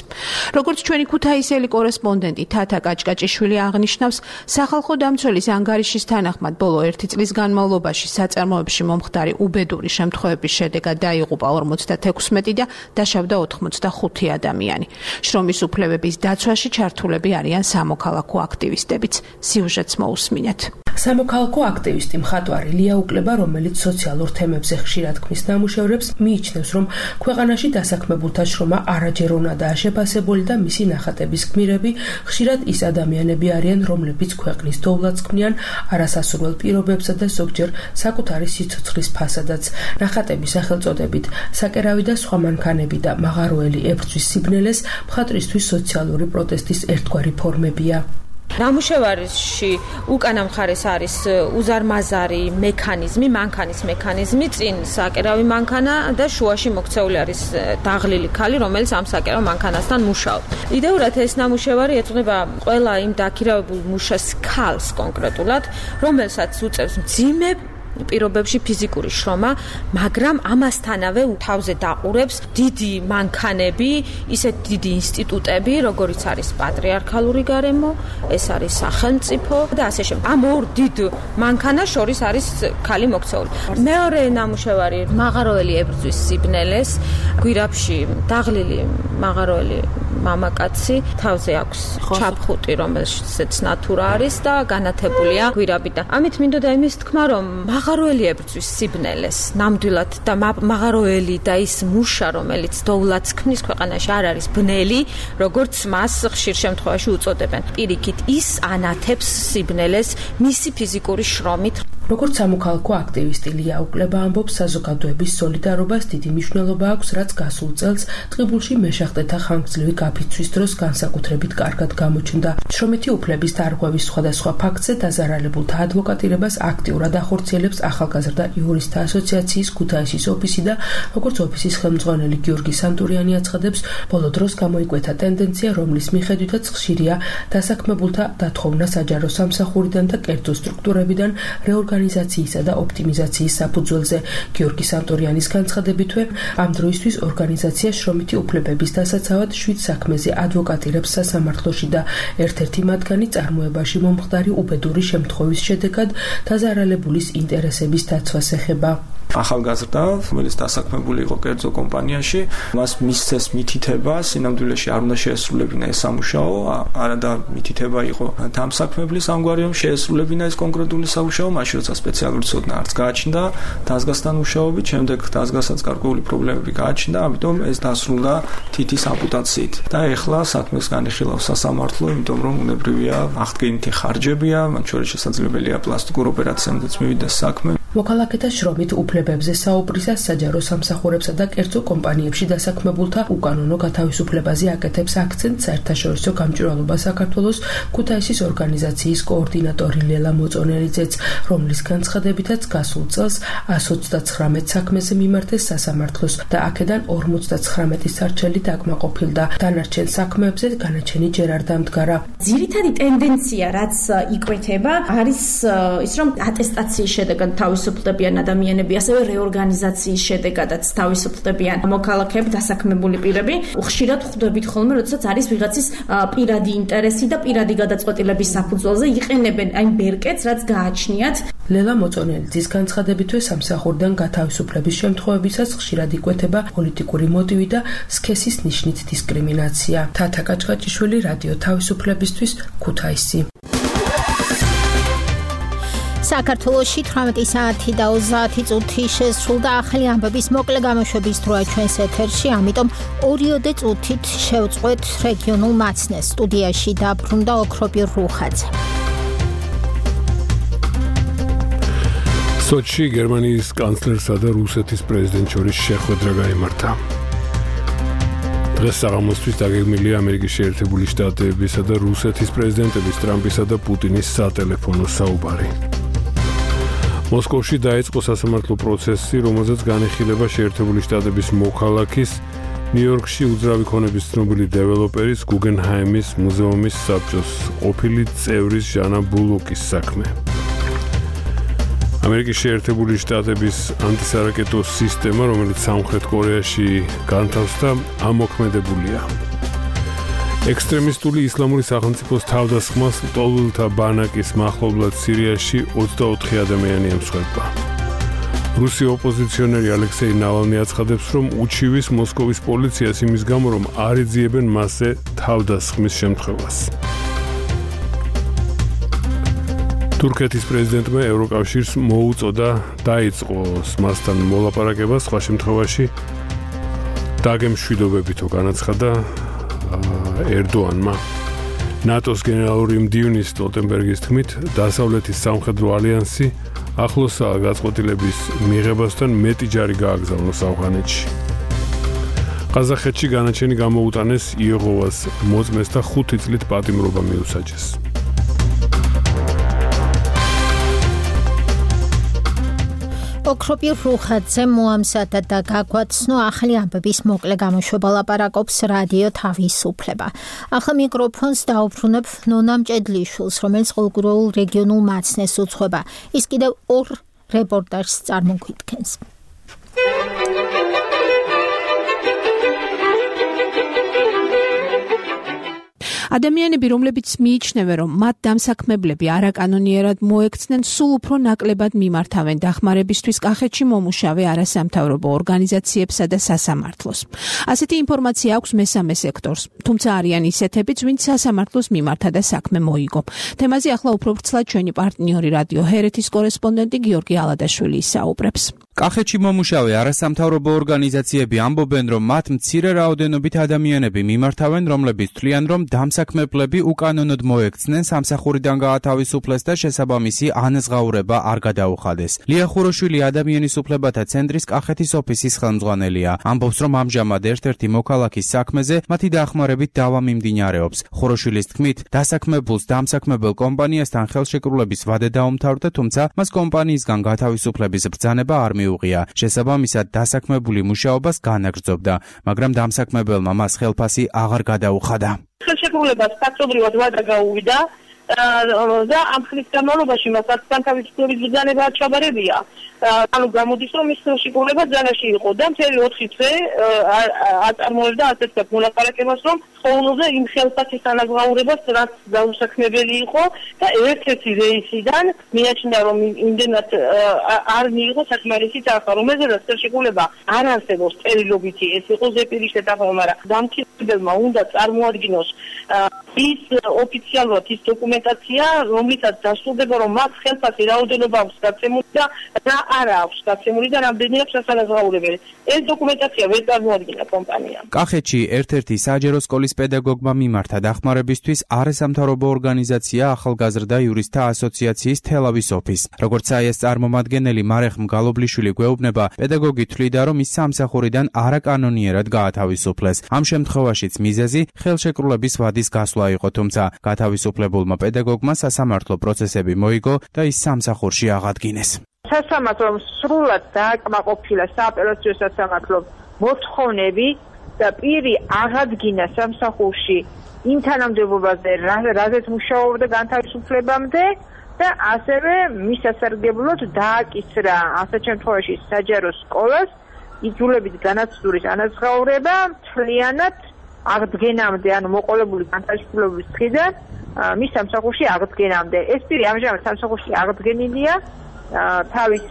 Speaker 10: როგორც ჩვენი ქუთაისელი კორესპონდენტი თათა კაჭკაჭიშვილი აღნიშნავს, სახალხო დამცველის ანგარიშის თანახმად ბოლო ერთი წლის განმავლობაში საწარმოებში მომხდარი უბედური შემთხვევების შედეგად დაიღუპა ორმოცდათექვსმეტი და დაშავდა ოთხმოცდახუთი ადამიანი. შრომის უფლებების დაცვაში ჩართულები არიან სამოქალაქო აქტივისტებიც. სიუჟეტს მოусმინეთ.
Speaker 19: სამოქალაქო აქტივისტი მხატვარი ლია უკლება, რომელიც სოციალურ თემებზე ხშირად ქმნის ნამუშევრებს, მიიჩნევს, რომ ქვეყანაში დასაქმებულთა შრომა არაჯერ უნადაა შეფასებული და მისი ნახატების გმირები ხშირად ის ადამიანები არიან, რომლებიც ქვეყნის დოვლადს ქმნიან არასასურველ პირობებსა და ზოგჯერ საკუთარი სიცოცხლის ფასადაც. ნახატების სახელწოდებით საკერავი და სხვა მანქანები და მაღაროელი ებრძვის სიბნელეს მხატვრისთვის სოციალური პროტესტის ერთგვარი ფორმებია.
Speaker 20: ნამუშევარში უკანა მხარეს არის უზარმაზარი მექანიზმი, მანქანის მექანიზმი, წინ საკერავი მანქანა და შუაში მოქცეული არის დაღლილი ქალი, რომელიც ამ საკერავ მანქანასთან მუშაობს. იდეურად ეს ნამუშევარი ეძღვნება ყველა იმ დაქირავებულ მუშას ქალს კონკრეტულად, რომელსაც უწევს მძიმე პირობებში ფიზიკური შრომა, მაგრამ ამასთანავე თავზე დაყურებს დიდი მანქანები, ისეთ დიდი ინსტიტუტები, როგორიც არის პატრიარქალური გარემო, ეს არის სახელმწიფო და ასე შემდეგ. ამ ორ დიდ მანქანას შორის არის ქალი მოქცეული. მეორე ნამუშევარი მაღაროელი ებრძვის სიბნელეს, გვირაბში დაღლილი მაღაროელი მამაკაცი, თავზე აქვს ჩაფხუტი, რომელშიც ნათურა არის და განათებულია გვირაბიდან. ამით მინდოდა იმის თქმა, რომ მაღაროელი ებრძვის სიბნელეს, ნამდვილად და მაღაროელი და ის მუშა, რომელიც დოვლადს ქმნის ქვეყანაში არ არის ბნელი, როგორც მას ხშირ შემთხვევაში უწოდებენ. პირიქით, ის ანათებს სიბნელეს მისი ფიზიკური შრომით.
Speaker 19: როგორც სამოქალაქო აქტივისტი ლია უკლება ამბობს, საზოგადოების სოლიდარობას დიდი მნიშვნელობა აქვს, რაც გასულ წელს ტყიბულში მეშახტეთა ხანგრძლივი გაფიცვის დროს განსაკუთრებით კარგად გამოჩნდა. შრომითი უფლების დარღვევის სხვადასხვა ფაქტზე დაზარალებულთა ადვოკატირებას აქტიურად ახორციელებს ახალგაზრდა იურისტთა ასოციაციის ქუთაისის ოფისი და როგორც ოფისის ხელმძღვანელი გიორგი სანტურიანი აცხადებს, ბოლო დროს გამოიკვეთა ტენდენცია, რომლის მიხედვითაც ხშირია დასაქმებულთა დათხოვნა საჯარო სამსახურიდან და კერძო სტრუქტურებიდან რეორგანიზაციისა და ოპტიმიზაციის საფუძველზე. გიორგი სანტურიანის განცხადებითვე, ამ დროისთვის ორგანიზაცია შრომითი უფლებების დასაცავად შვიდ საქმეზე ადვოკატირებს სასამართლოში და ერთ-ერთი მათგანი წარმოებაში მომხდარი უბედური შემთხვევის შედეგად დაზარალებულის ინტერესების დაცვას ეხება.
Speaker 21: ახალგაზრდა, რომელიც დასაქმებული იყო კერძო კომპანიაში, მას მისცეს მითითება, სინამდვილეში არ უნდა შეესრულებინა ეს სამუშაო, არა და მითითება იყო დამსაქმებლის ამგვარი, რომ შეესრულებინა ეს კონკრეტული სამუშაო, მაშინ როცა სპეციალური ცოდნა არც გააჩნდა დაზგასთან მუშაობით, შემდეგ დაზგასაც გარკვეული პრობლემები გააჩნდა, ამიტომ ეს დასრულდა თითის ამპუტაციით. და ეხლა საქმეს განიხილავს სასამართლო, იმიტომ რომ უნებრივია აღდგენითი ხარჯებია, მათ შორის შესაძლებელია პლასტიკურ ოპერაციამდეც მივიდეს საქმე.
Speaker 19: მოქალაქეთა შრომით უფლებებზე საუბრისას საჯარო სამსახურებსა და კერძო კომპანიებში დასაქმებულთა უკანონო გათავისუფლებაზე აკეთებს აქცენტს საერთაშორისო გამჭვირვალობა საქართველოს ქუთაისის ორგანიზაციის კოორდინატორი ლელა მოწონელიძეც, რომლის განცხადებითაც გასულ წელს εκατს ოცდაცხრამეტ საქმეზე მიმართეს სასამართლოს და აქედან ორმოცდაცხრამეტი სარჩელი დაკმაყოფილდა. დანარჩენ საქმეებზე განაჩენი ჯერ არ დამდგარა.
Speaker 3: ძირითადი ტენდენცია, რაც იკვეთება, არის ის, რომ ატესტაციის შედეგად თავისუფლდებიან ადამიანები, ასევე რეორგანიზაციის შედეგადაც თავისუფლდებიან მოქალაქეები, დასაქმებული პირები. ხშირად ხვდებით ხოლმე, როდესაც არის ვიღაცის პირადი ინტერესი და პირადი გადაწყვეტილების საფუძველზე იყენებენ აი ბერკეტს, რაც გააჩნიათ.
Speaker 19: ლელა მოწონელიძის განცხადებითვე სამსახურიდან გათავისუფლების შემთხვევებისას ხშირად იკვეთება პოლიტიკური მოტივი და სქესის ნიშნით დისკრიმინაცია. თათა კაჭკაჭიშვილი, რადიო თავისუფლებისთვის, ქუთაისი.
Speaker 2: საქართველოში თვრამეტი საათი და ოცდაათი წუთი შესრულდა. ახალი ამბების მოკლე გამოშვების დროა ჩვენს ეთერში, ამიტომ ორიოდე წუთით შევწყვეთ რეგიონულ მაცნეს. სტუდიაში დაბრუნდა ოქროპირ რუხაძე.
Speaker 1: სოჩში გერმანიის კანცლერსა და რუსეთის პრეზიდენტ შორის შეხვედრა გაიმართა. დღეს საღამოსთვის დაგეგმილია ამერიკის შეერთებული შტატებისა და რუსეთის პრეზიდენტების ტრამპისა და პუტინის სატელეფონო საუბარი. მოსკოვში დაიწყო სასამართლო პროცესი, რომელზეც განიხილება შეერთებული შტატების მოქალაქის, ნიუ-იორკში უძრავი ქონების ცნობილი დეველოპერის, გუგენჰაიმის მუზეუმის საბჭოს ყოფილი წევრის ჟანა ბულოკის საქმე. ამერიკის შეერთებული შტატების ანტისარაკეტო სისტემა, რომელიც სამხრეთ კორეაში განთავსდა, ამოქმედებულია. ექსტრემისტული ისლამური სახელმწიფოს თავდასხმას ლტოლვილთა ბანაკის მახლობლად სირიაში ოცდაოთხი ადამიანი ემსხვერპლა. რუსი ოპოზიციონერი ალექსეი ნავალნი აცხადებს, რომ უჩივის მოსკოვის პოლიციას იმის გამო, რომ არ ეძიებენ მასზე თავდასხმის შემთხვევას. თურქეთის პრეზიდენტმა ევროკავშირს მოუწოდა დაიწყოს მასთან მოლაპარაკება, სხვა შემთხვევაში დაგემშვიდობებითო განაცხადა ერდოანმა. ნატოს გენერალური მდივნის სტოლტენბერგის თქმით, დასავლეთის სამხედრო ალიანსი ახლოსაა გაწყვეტილების მიღებასთან მეტი ჯარი გააგზავნოს ავღანეთში. ყაზახეთში განაჩენი გამოუტანეს იეღოვას მოწმეს და ხუთი წლით პატიმრობა მიუსაჯეს.
Speaker 2: ოქროპირ რუხაძე მოამზადა და გაგვაცნო ახალი ამბების მოკლე გამოშვება, ლაპარაკობს რადიო თავისუფლება. ახლა მიკროფონს დაუბრუნებ ნონა მჭედლიშვილს, რომელიც ყოველგვარულ რეგიონულ მაცნეს უძღვება. ის კიდევ ორ რეპორტაჟს წარმოგვიდგენს.
Speaker 10: ადამიანები, რომლებიც მიიჩნევენ, რომ მათ დამსაქმებლები არაკანონიერად მოექცნენ, სულ უფრო ნაკლებად მიმართავენ დახმარებისთვის კახეთში მომუშავე არასამთავრობო ორგანიზაციებსა და სასამართლოს. ასეთი ინფორმაცია აქვს მესამე სექტორს, თუმცა არიან ისეთებიც, ვინც სასამართლოს მიმართა და საქმე მოიგო. თემაზე ახლა უფრო ვრცლად ჩვენი პარტნიორი რადიო ჰერეთის კორესპონდენტი გიორგი ალადაშვილი ისაუბრებს.
Speaker 22: კახეთში მომუშავე არასამთავრობო ორგანიზაციები ამბობენ, რომ მათ მცირე რაოდენობით ადამიანები მიმართავენ, რომლებიც თვლიან, რომ დამსაქმებლები უკანონოდ მოექცნენ, სამსახურიდან გაათავისუფლეს და შესაბამისი ანაზღაურება არ გადაუხადეს. ლია ხუროშვილი ადამიანის უფლებათა ცენტრის კახეთის ოფისის ხელმძღვანელია. ამბობს, რომ ამჟამად ერთ-ერთი მოქალაქის საქმეზე მათი დახმარებით დავა მიმდინარეობს. ხუროშვილის თქმით, დასაქმებულს დამსაქმებელ კომპანიასთან ხელშეკრულების ვადე დაუმთავრდა, თუმცა მას კომპანიისგან გათავისუფლების ბრძანება არ მიუღია. შესაბამისად, დასაქმებული მუშაობას განაგრძობდა, მაგრამ დამსაქმებელმა მას ხელფასი აღარ გადაუხადა.
Speaker 5: ხელშეკრულებას ფაქტობრივად ვადა გაუვიდა და ამ ხნის განმავლობაში მას განთავისუფლების ბრძანება ჩაბარებია. ანუ გამოდის, რომ ის ხელშეკრულება ბრძანაში იყო და მთელი ოთხი თვე აწარმოებდა ასეთ მოლაპარაკებას, რომ ყოველზე იმ ხელფასის ანაზღაურებას, რაც დაუსაქმებელი იყო და ერთ-ერთი რეისიდან მიაჩნდა, რომ იმდენად არ მიიღო საკმარისი თანხა, რომელზედაც ხელშეკრულება არ არსებობს წერილობითი, ეს იყო ზეპირის შეთანხმება, მაგრამ დამქირავებელმა უნდა წარმოადგინოს ის ოფიციალურად ის დოკუმენტაცია, რომლითაც დასრულდება, რომ მას ხელფასი რაოდენობა აქვს გაცემული და რა არა აქვს გაცემული და რამდენი აქვს ასანაზღაურებელი. ეს დოკუმენტაცია ვერ წარმოადგინა კომპანიამ.
Speaker 22: კახეთში ერთ-ერთი საჯარო სკოლის წლის პედაგოგმა მიმართა დახმარებისთვის არასამთავრობო ორგანიზაცია ახალგაზრდა იურისტთა ასოციაციის თელავის ოფისს. როგორც საიას წარმომადგენელი მარეხ მგალობლიშვილი გვეუბნება, პედაგოგი თვლიდა, რომ ის სამსახურიდან არაკანონიერად გაათავისუფლეს. ამ შემთხვევაშიც მიზეზი ხელშეკრულების ვადის გასვლა იყო, თუმცა გათავისუფლებულმა პედაგოგმა სასამართლო პროცესები მოიგო და ის სამსახურში აღადგინეს.
Speaker 7: სასამართლომ სრულად დააკმაყოფილა სააპელაციო სასამართლომ მოთხოვნები და პირი აღადგინა სამსახურში იმ თანამდებობაზე, რაზეც მუშაობდა განთავისუფლებამდე და ასევე მის სასარგებლოდ დააკისრა ასეთ შემთხვევაში საჯარო სკოლას იძულებით განაცდურის ანაზღაურება მთლიანად აღდგენამდე, ანუ მოყოლებული განთავისუფლების დღიდან მის სამსახურში აღდგენამდე. ეს პირი ამჟამად სამსახურში აღდგენილია თავის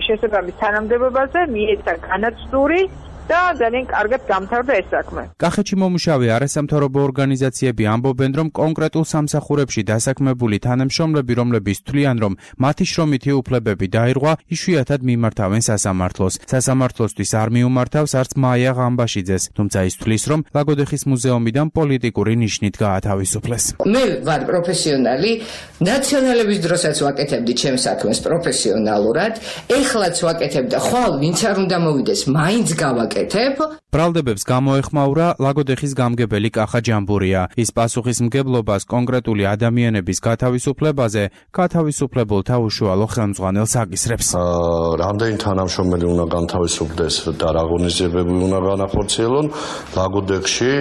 Speaker 7: შესაბამის თანამდებობაზე, მიეცა განაცდური და ძალიან კარგად გამთავრდა ეს საქმე.
Speaker 22: კახეთში მომუშავე არასამთავრობო ორგანიზაციები ამბობენ, რომ კონკრეტულ სამსახურებში დასაქმებული თანამშრომლები, რომლებიც თვლიან, რომ მათი შრომითი უფლებები დაირღვა, იშვიათად მიმართავენ სასამართლოს. სასამართლოსთვის არ მიუმართავს არც მაია ღამბაშიძეს, თუმცა ის თვლის, რომ ლაგოდეხის მუზეუმიდან პოლიტიკური ნიშნით გაათავისუფლეს.
Speaker 9: მე ვარ პროფესიონალი, ნაციონალების დროსაც ვაკეთებდი ჩემს საქმეს პროფესიონალურად, ეხლაც ვაკეთებ და ხვალ ვინც არ უნდა მოვიდეს, მაინც გავაკეთებ.
Speaker 22: ბრალდებებს გამოეხმაურა ლაგოდეხის გამგებელი კახა ჯამბურია. ის პასუხისმგებლობას კონკრეტული ადამიანების გათავისუფლებაზე გათავისუფლებულთა უშუალო ხელმძღვანელს აკისრებს.
Speaker 23: რამდენი თანამშრომელი უნდა განთავისუფლდეს და რა ღონისძიებები უნდა განახორციელონ, ლაგოდეხში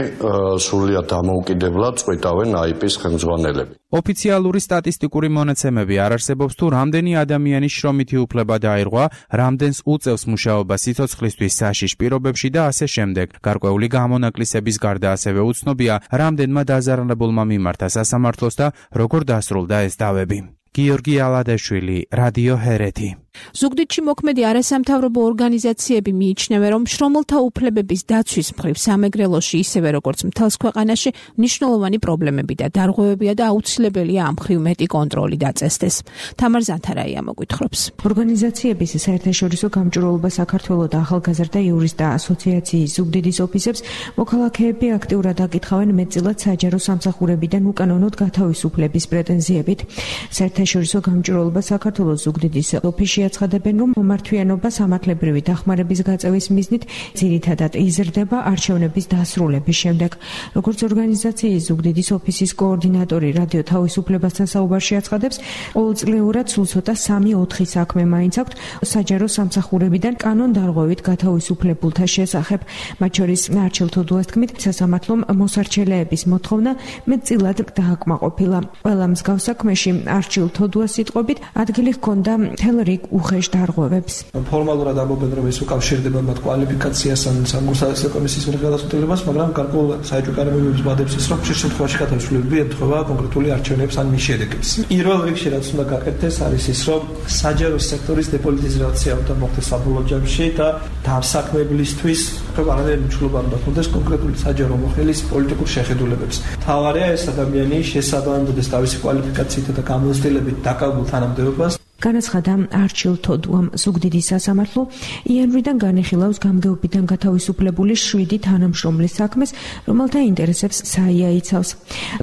Speaker 23: სრულიად დამოუკიდებლად წყვეტავენ აიპის ხელმძღვანელები.
Speaker 22: ოფიციალური სტატისტიკური მონაცემები არ არსებობს თუ რამდენი ადამიანის შრომითი უფლება დაირღვა, რამდენს უწევს მუშაობა სიცოცხლისთვის საშიშ პირობებში და ასე შემდეგ. გარკვეული გამონაკლისების გარდა ასევე უცნობია, რამდენმა დაზარალებულმა მიმართა სასამართლოს და როგორ დასრულდა ეს დავები. გიორგი ალადაშვილი, რადიო ჰერეთი.
Speaker 10: ზუგდიდში მოქმედი არასამთავრობო ორგანიზაციები მიიჩნევენ, რომ შრომელთა უფლებების დაცვის მხრივ სამეგრელოში ისევე როგორც მთელს ქვეყანაში მნიშვნელოვანი პრობლემები და დარღვევებია და აუცილებელია ამ მხრივ მეტი კონტროლი დაწესდეს. თამარ ზანთარაია მოგვითხრობს.
Speaker 12: ორგანიზაციების საერთაშორისო გამჭვირვალობა საქართველოს და ახალგაზრდა იურისტთა ასოციაციის ზუგდიდის ოფისებს მოქალაქეები აქტიურად აკითხავენ მეტწილად საჯარო სამსახურებიდან უკანონოდ გათავისუფლების პრეტენზიებით. საერთაშორისო გამჭვირვალობა საქართველოს ზუგდიდის ოფისში აცხადებენ, რომ მომართვიანობა სამართლებრივი დახმარების გაწევის მიზნით ძირითადად იზრდება არჩევნების დასრულების შემდეგ. როგორც ორგანიზაციის ზუგდიდის ოფისის კოორდინატორი რადიო თავისუფლებასთან საუბარში აცხადებს, ყოველწლიურად სულ ცოტა სამი ოთხი საქმე მაინც აქვთ საჯარო სამსახურებიდან კანონდარღვევით გათავისუფლებულთა შესახებ. მათ შორის არჩილ თოდუას თქმით, სასამართლომ მოსარჩელეების მოთხოვნა მეტწილად დააკმაყოფილა. ყველა მსგავს საქმეში არჩილ თოდუას სიტყვებით ადგილი ჰქონდა მთელ რიგ უხეშ დარღვევებს.
Speaker 21: ფორმალურად ამბობენ, რომ ეს უკავშირდება მათ კვალიფიკაციას ან სამგურსა კომისიის მიერ გადაწყვეტილებას, მაგრამ გარკვეულ საეჭვო კანონმდებლობის ვადებს ის, რომ ხშირ შემთხვევაში გათავისუფლება ემთხვევა კონკრეტული არჩევნებს ან მის შედეგებს. პირველ რიგში რაც უნდა გაკეთდეს არის ის, რომ საჯარო სექტორის დეპოლიტიზაცია უნდა მოხდეს საბოლოო ჯამში და დამსაქმებლისთვის არანაირი მნიშვნელობა არ უნდა ჰქონდეს კონკრეტული საჯარო მოხელის პოლიტიკურ შეხედულებებს. თავარია ეს ადამიანი შესაბამებოდეს თავისი კვალიფიკაციით და გამოცდილებით დაკავებულ თანამდებობას.
Speaker 12: განაცხადა არჩილ თოდუამ. ზუგდიდის სასამართლო იანვრიდან განეხილავს გამგეობიდან გათავისუფლებული შვიდი თანამშრომლის საქმეს, რომელთა ინტერესებს საია იცავს.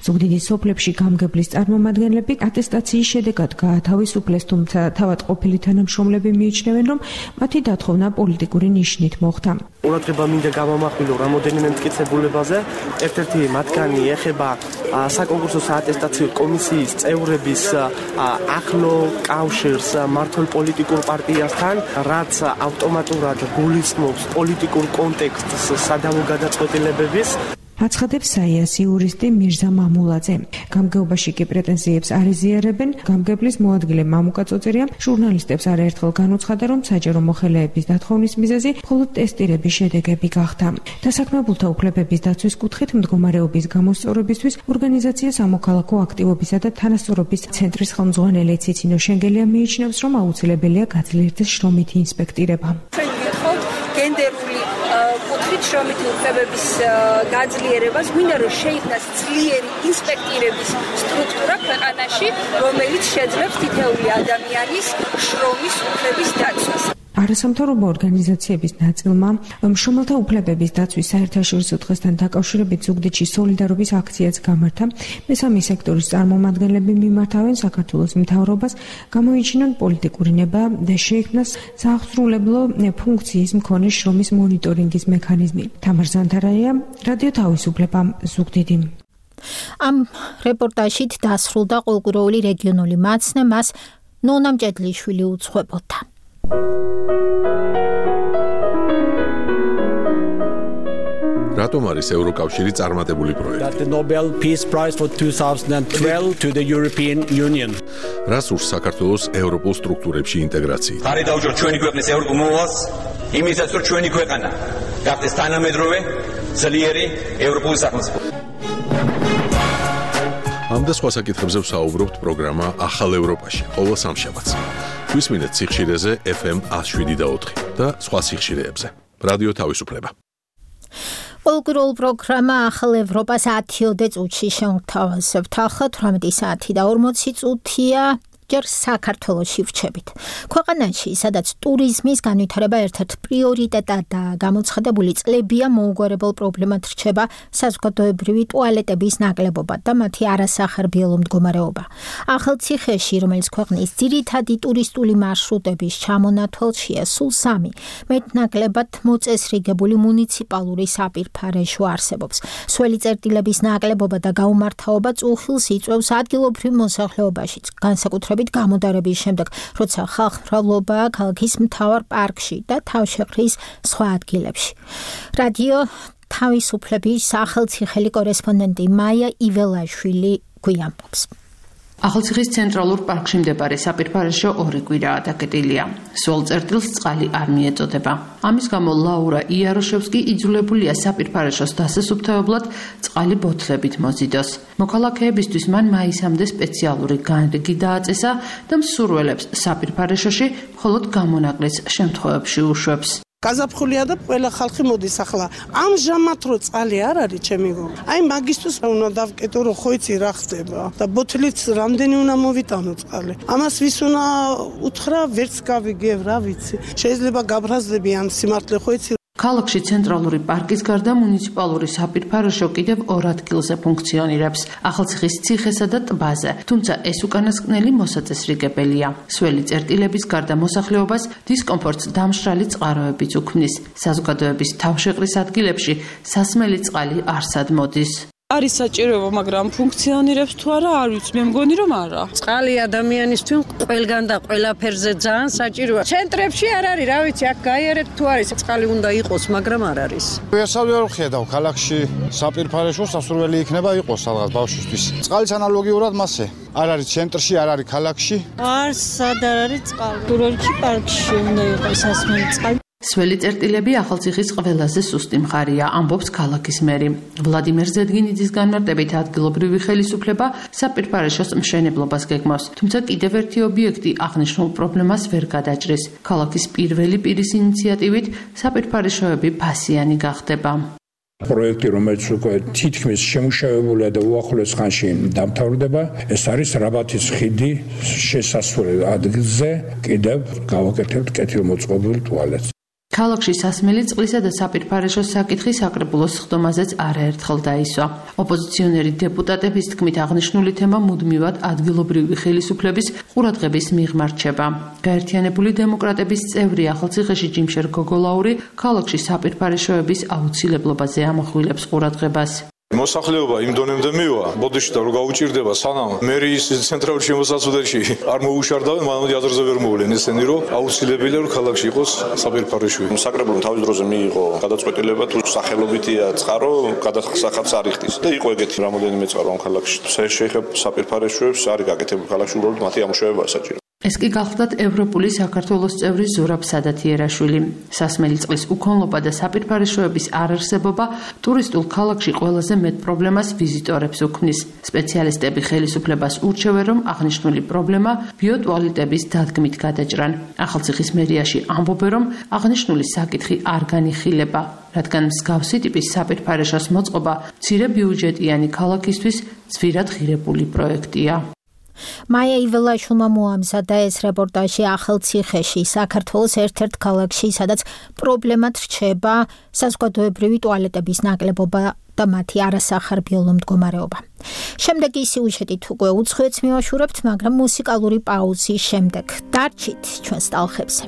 Speaker 12: ზუგდიდის სოფლებში გამგებლის წარმომადგენლები ატესტაციის შედეგად გაათავისუფლეს, თუმცა თავად ყოფილი თანამშრომლები მიიჩნევენ, რომ მათი დათხოვნა პოლიტიკური ნიშნით მოხდა.
Speaker 24: ყურადღება მინდა გამომახვილო რამოდენიმე მტკიცებულებაზე. ერთ-ერთი მათგანი ეხება საკონკურსო საატესტაციო კომისიის წევრების ახლო კავშირს მართლ პოლიტიკურ პარტიასთან, რაც ავტომატურად გულისხმობს პოლიტიკურ კონტექსტს სადავო გადაწყვეტილებების.
Speaker 12: აცხადებს საიას იურისტი მირზა მამულაძე. გამგეობაში კი პრეტენზიებს არ იზიარებენ. გამგებლის მოადგილე მამუკა წოწერია ჟურნალისტებს არაერთხელ განუცხადა, რომ საჯარო მოხელეების დათხოვნის მიზეზი მხოლოდ ტესტირების შედეგები გახდა. დასაქმებულთა უფლებების დაცვის კუთხით მდგომარეობის გამოსწორებისთვის ორგანიზაცია სამოქალაქო აქტივობისა და თანასწორობის ცენტრის ხელმძღვანელი ციცინო შენგელია მიიჩნევს, რომ აუცილებელია გაძლიერდეს შრომითი ინსპექტირება.
Speaker 25: გენდერული კუთხით შრომითი უფლებების გაძლიერებას გვინდა რომ შეიქმნას ძლიერი ინსპექტირების სტრუქტურა ქვეყანაში, რომელიც შეძლებს თითოეული ადამიანის შრომის უფლების დაცვას.
Speaker 12: არასამთავრობო ორგანიზაციების ნაწილმა მშრომელთა უფლებების დაცვის საერთაშორისო დღესთან დაკავშირებით ზუგდიდში სოლიდარობის აქციაც გამართა. მესამე სექტორის წარმომადგენლები მიმართავენ საქართველოს მთავრობას გამოიჩინონ პოლიტიკური ნება და შეიქმნას სააღწრულებლო ფუნქციის მქონე შრომის მონიტორინგის მექანიზმი. თამარ ზანთარაია, რადიო თავისუფლება, ზუგდიდი.
Speaker 2: ამ რეპორტაჟით დასრულდა ყოველკვირეული რეგიონული მაცნე, მას ნონა მჭედლიშვილი უძღვებოდა.
Speaker 1: რატომ არის ევროკავშირი წარმატებული პროექტი?
Speaker 4: The Nobel Peace Prize for twenty twelve to the European Union.
Speaker 1: რას ურს საქართველოს ევროპულ სტრუქტურებში ინტეგრაციით?
Speaker 8: ხარი დაუჭიროთ ჩვენი ქვეყნის ევროპულ მოვალს, იმისაც რომ ჩვენი ქვეყანა გახდეს თანამედროვე, ძლიერი ევროპული სახელმწიფო.
Speaker 1: ამ და სხვა საკითხებზე ვსაუბრობთ პროგრამა ახალ ევროპაში, ყოველ სამშაბათს. გვისმინეთ სიხშირეზე F M one oh seven და ოთხი და სხვა სიხშირეებზე. რადიო თავისუფლება.
Speaker 2: ყოველკვირეულ პროგრამა ახალ ევროპას ათიოდე წუთში შევთავაზებთ. ახლა თვრამეტი საათი და ორმოცი წუთია. ჯერ საქართველოში ვრჩებით. ქვეყანაში, სადაც ტურიზმის განვითარება ერთ-ერთ პრიორიტეტადაა გამოცხადებული, წლებია მოუგვარებელ პრობლემად რჩება საზოგადოებრივი ტუალეტების ნაკლებობა და მათი არასახარბიელო მდგომარეობა. ახალციხეში, რომელიც ქვეყნის ძირითადი ტურისტული მარშრუტების ჩამონათვალშია, სულ სამი მეტნაკლებად მოწესრიგებული მუნიციპალური საპირფარეშო არსებობს. სველი წერტილების ნაკლებობა და გაუმართავობა წუხილს იწვევს ადგილობრივ მოსახლეობაშიც, განსაკუთრებით გამოდარების შემდეგ, როცა ხალხმრავლობაა ქალაქის მთავარ პარკში და თავშეყრის სხვა ადგილებში. რადიო თავისუფლების სახელმწიფოელი კორესპონდენტი მაია იველაშვილი გვიამბობს.
Speaker 11: ახალციხის ცენტრალურ პარკში მდებარე საპირფარეშო ორი კვირაა დაკეტილია. სულ წერტილს წყალი არ მიეწოდება. ამის გამო ლაურა იაროშევსკი იძულებულია საპირფარეშოს დასასუფთავებლად წყალი ბოთლებით მოზიდოს. მოქალაქეებისთვის მან მაისამდე სპეციალური განრიგი დააწესა და მსურველებს საპირფარეშოში მხოლოდ გამონაკლისს შემთხვევებში უშვებს.
Speaker 13: გაზაფხულია და ყველა ხალხი მოდის ახლა. ამჟამად რო წყალი არ არის, ჩემი გო. აი მაგისტვის უნდა დავკეტო, რომ ხო იცი რა ხდება და ბოთლიც რამდენი უნდა მოვიტანო წყალი. ამას ვის უნდა უთხრა, ვერც გავიგებ, რა ვიცი. შეიძლება გაბრაზდები ამ სიმართლე ხო იცი.
Speaker 11: ქალაქში ცენტრალური პარკის გარდა მუნიციპალური საპირფარეშო კიდევ ორ ადგილზე ფუნქციონირებს, ახალციხის ციხესა და ტბაზე, თუმცა ეს უკანასკნელი მოსაწესრიგებელია. სველი წერტილების გარდა მოსახლეობას დისკომფორტს დამშრალი წყაროებიც უქმნის. საზოგადოების თავშეყრის ადგილებში სასმელი წყალი არსად მოდის.
Speaker 14: არის საჭიროება, მაგრამ ფუნქციონირებს თუ არა, არ ვიცი, მე მგონი რომ არა.
Speaker 26: წყალი ადამიანისთვის ყველგან და ყველაფერზე ძალიან საჭიროა. ცენტრებში არ არის, რა ვიცი, აქ გაიარეთ თუ არის, წყალი უნდა იყოს, მაგრამ არ არის.
Speaker 27: ვერსავი არ ხედავ, ქალაქში საპირფარეშო სასურველი იქნება იყოს სადღაც ბავშვისთვის. წყალის ანალოგიურად მასე არ არის ცენტრში, არ არის ქალაქში.
Speaker 26: არ სად არ არის წყალი. კურორტში, პარკში უნდა იყოს სასმელი წყალი.
Speaker 11: სველი წერტილები ახალციხის ყველაზე სუსტი მხარეა, ამბობს ქალაქის მერი. ვლადიმერ ზედგინიძის განმარტებით ადგილობრივი ხელისუფლება საპირფარეშოს მშენებლობას გეგმავს, თუმცა კიდევ ერთი ობიექტი აღნიშნულ პრობლემას ვერ გადაჭრის. ქალაქის პირველი პირის ინიციატივით საპირფარეშოები ფასიანი გახდება.
Speaker 28: პროექტი, რომელიც უკვე თითქმის შემუშავებულია და უახლოეს ხანში დამთავრდება, ეს არის რაბათის ხიდი შესასვლელ ადგილზე, კიდევ გავაკეთებთ კეთილმოწყობილ ტუალეტს.
Speaker 11: ქალაქში სასმელი წყლისა და საპირფარეშოს საკითხი საკრებულოს სხდომაზეც არაერთხელ დაისვა. ოპოზიციონერი დეპუტატების თქმით აღნიშნული თემა მუდმივად ადგილობრივი ხელისუფლების ყურადღების მიღმა რჩება. გაერთიანებული დემოკრატების წევრი ახალციხეში ჯიმშერ გოგოლაური ქალაქში საპირფარეშოების აუცილებლობაზე ამახვილებს ყურადღებას.
Speaker 29: მოსახლეობა იმ დონემდე მივა, ბოდიში და რო გაუჭირდება სანამ მერიის ცენტრალურ შემოსაცუდებში არ მოუშარდავენ, მანამდე აზრზე ვერ მოვლენ ესენი, რომ აუცილებელია რომ ქალაქში იყოს საპირფარეშო.
Speaker 30: საკრებულომ თავის დროზე მიიღო გადაწყვეტილება თუ სახელობითია წყარო გადასახადს არ იხდის და იყო ეგეთი რამოდენიმე წყარო ამ ქალაქში. შეიძლება საპირფარეშოებს არის გაკეთებული ქალაქში, უბრალოდ მათი ამუშავებაა საჭირო.
Speaker 11: ეს კი გახლდათ ევროპული საქართველოს წევრი ზურაბ სადათიერაშვილი. სასმელი წყლის უქონლობა და საპირფარეშოების არარსებობა ტურისტულ ქალაქში ყველაზე მეტ პრობლემას ვიზიტორებს უქმნის. სპეციალისტები ხელისუფლებას ურჩევენ, რომ აღნიშნული პრობლემა ბიოტუალეტების დადგმით გადაჭრან. ახალციხის მერიაში ამბობენ, რომ აღნიშნული საკითხი არ განიხილება, რადგან მსგავსი ტიპის საპირფარეშოს მოწყობა მცირე ბიუჯეტიანი ქალაქისთვის ძვირად ღირებული პროექტია.
Speaker 2: მაია იველაშვილმა მოამზადა ეს რეპორტაჟი ახალციხეში, საქართველოს ერთ-ერთ ქალაქში, სადაც პრობლემად რჩება საზოგადოებრივი ტუალეტების ნაკლებობა და მათი არასახარბიელო მდგომარეობა. შემდეგი სიუჟეტით უკვე უცხოეთს მივაშურებთ, მაგრამ მუსიკალური პაუზის შემდეგ დარჩით ჩვენს ტალღებზე.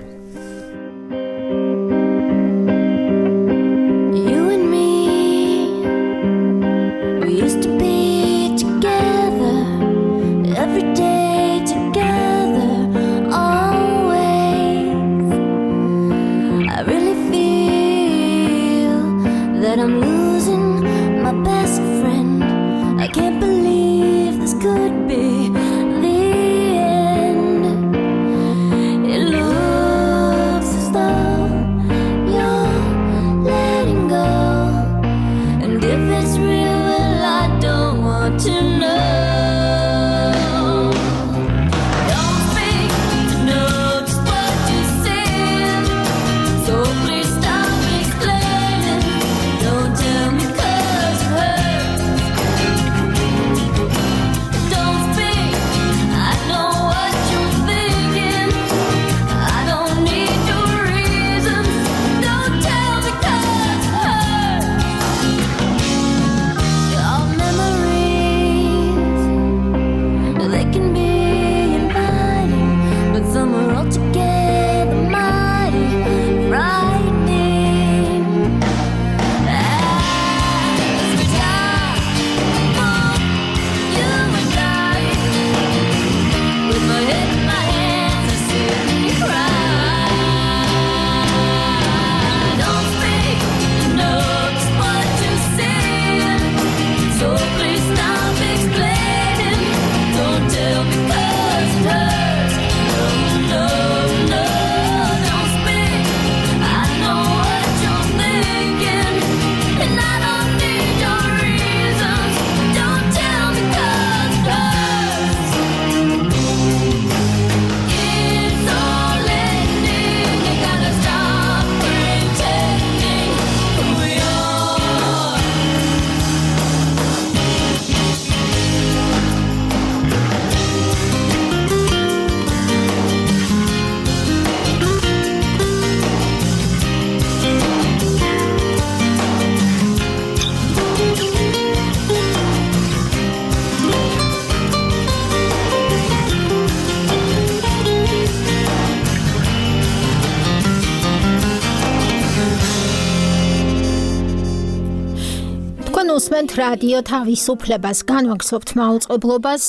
Speaker 2: უსმენთ რადიო თავისუფლებას, განვაგრძობთ მაუწყებლობას.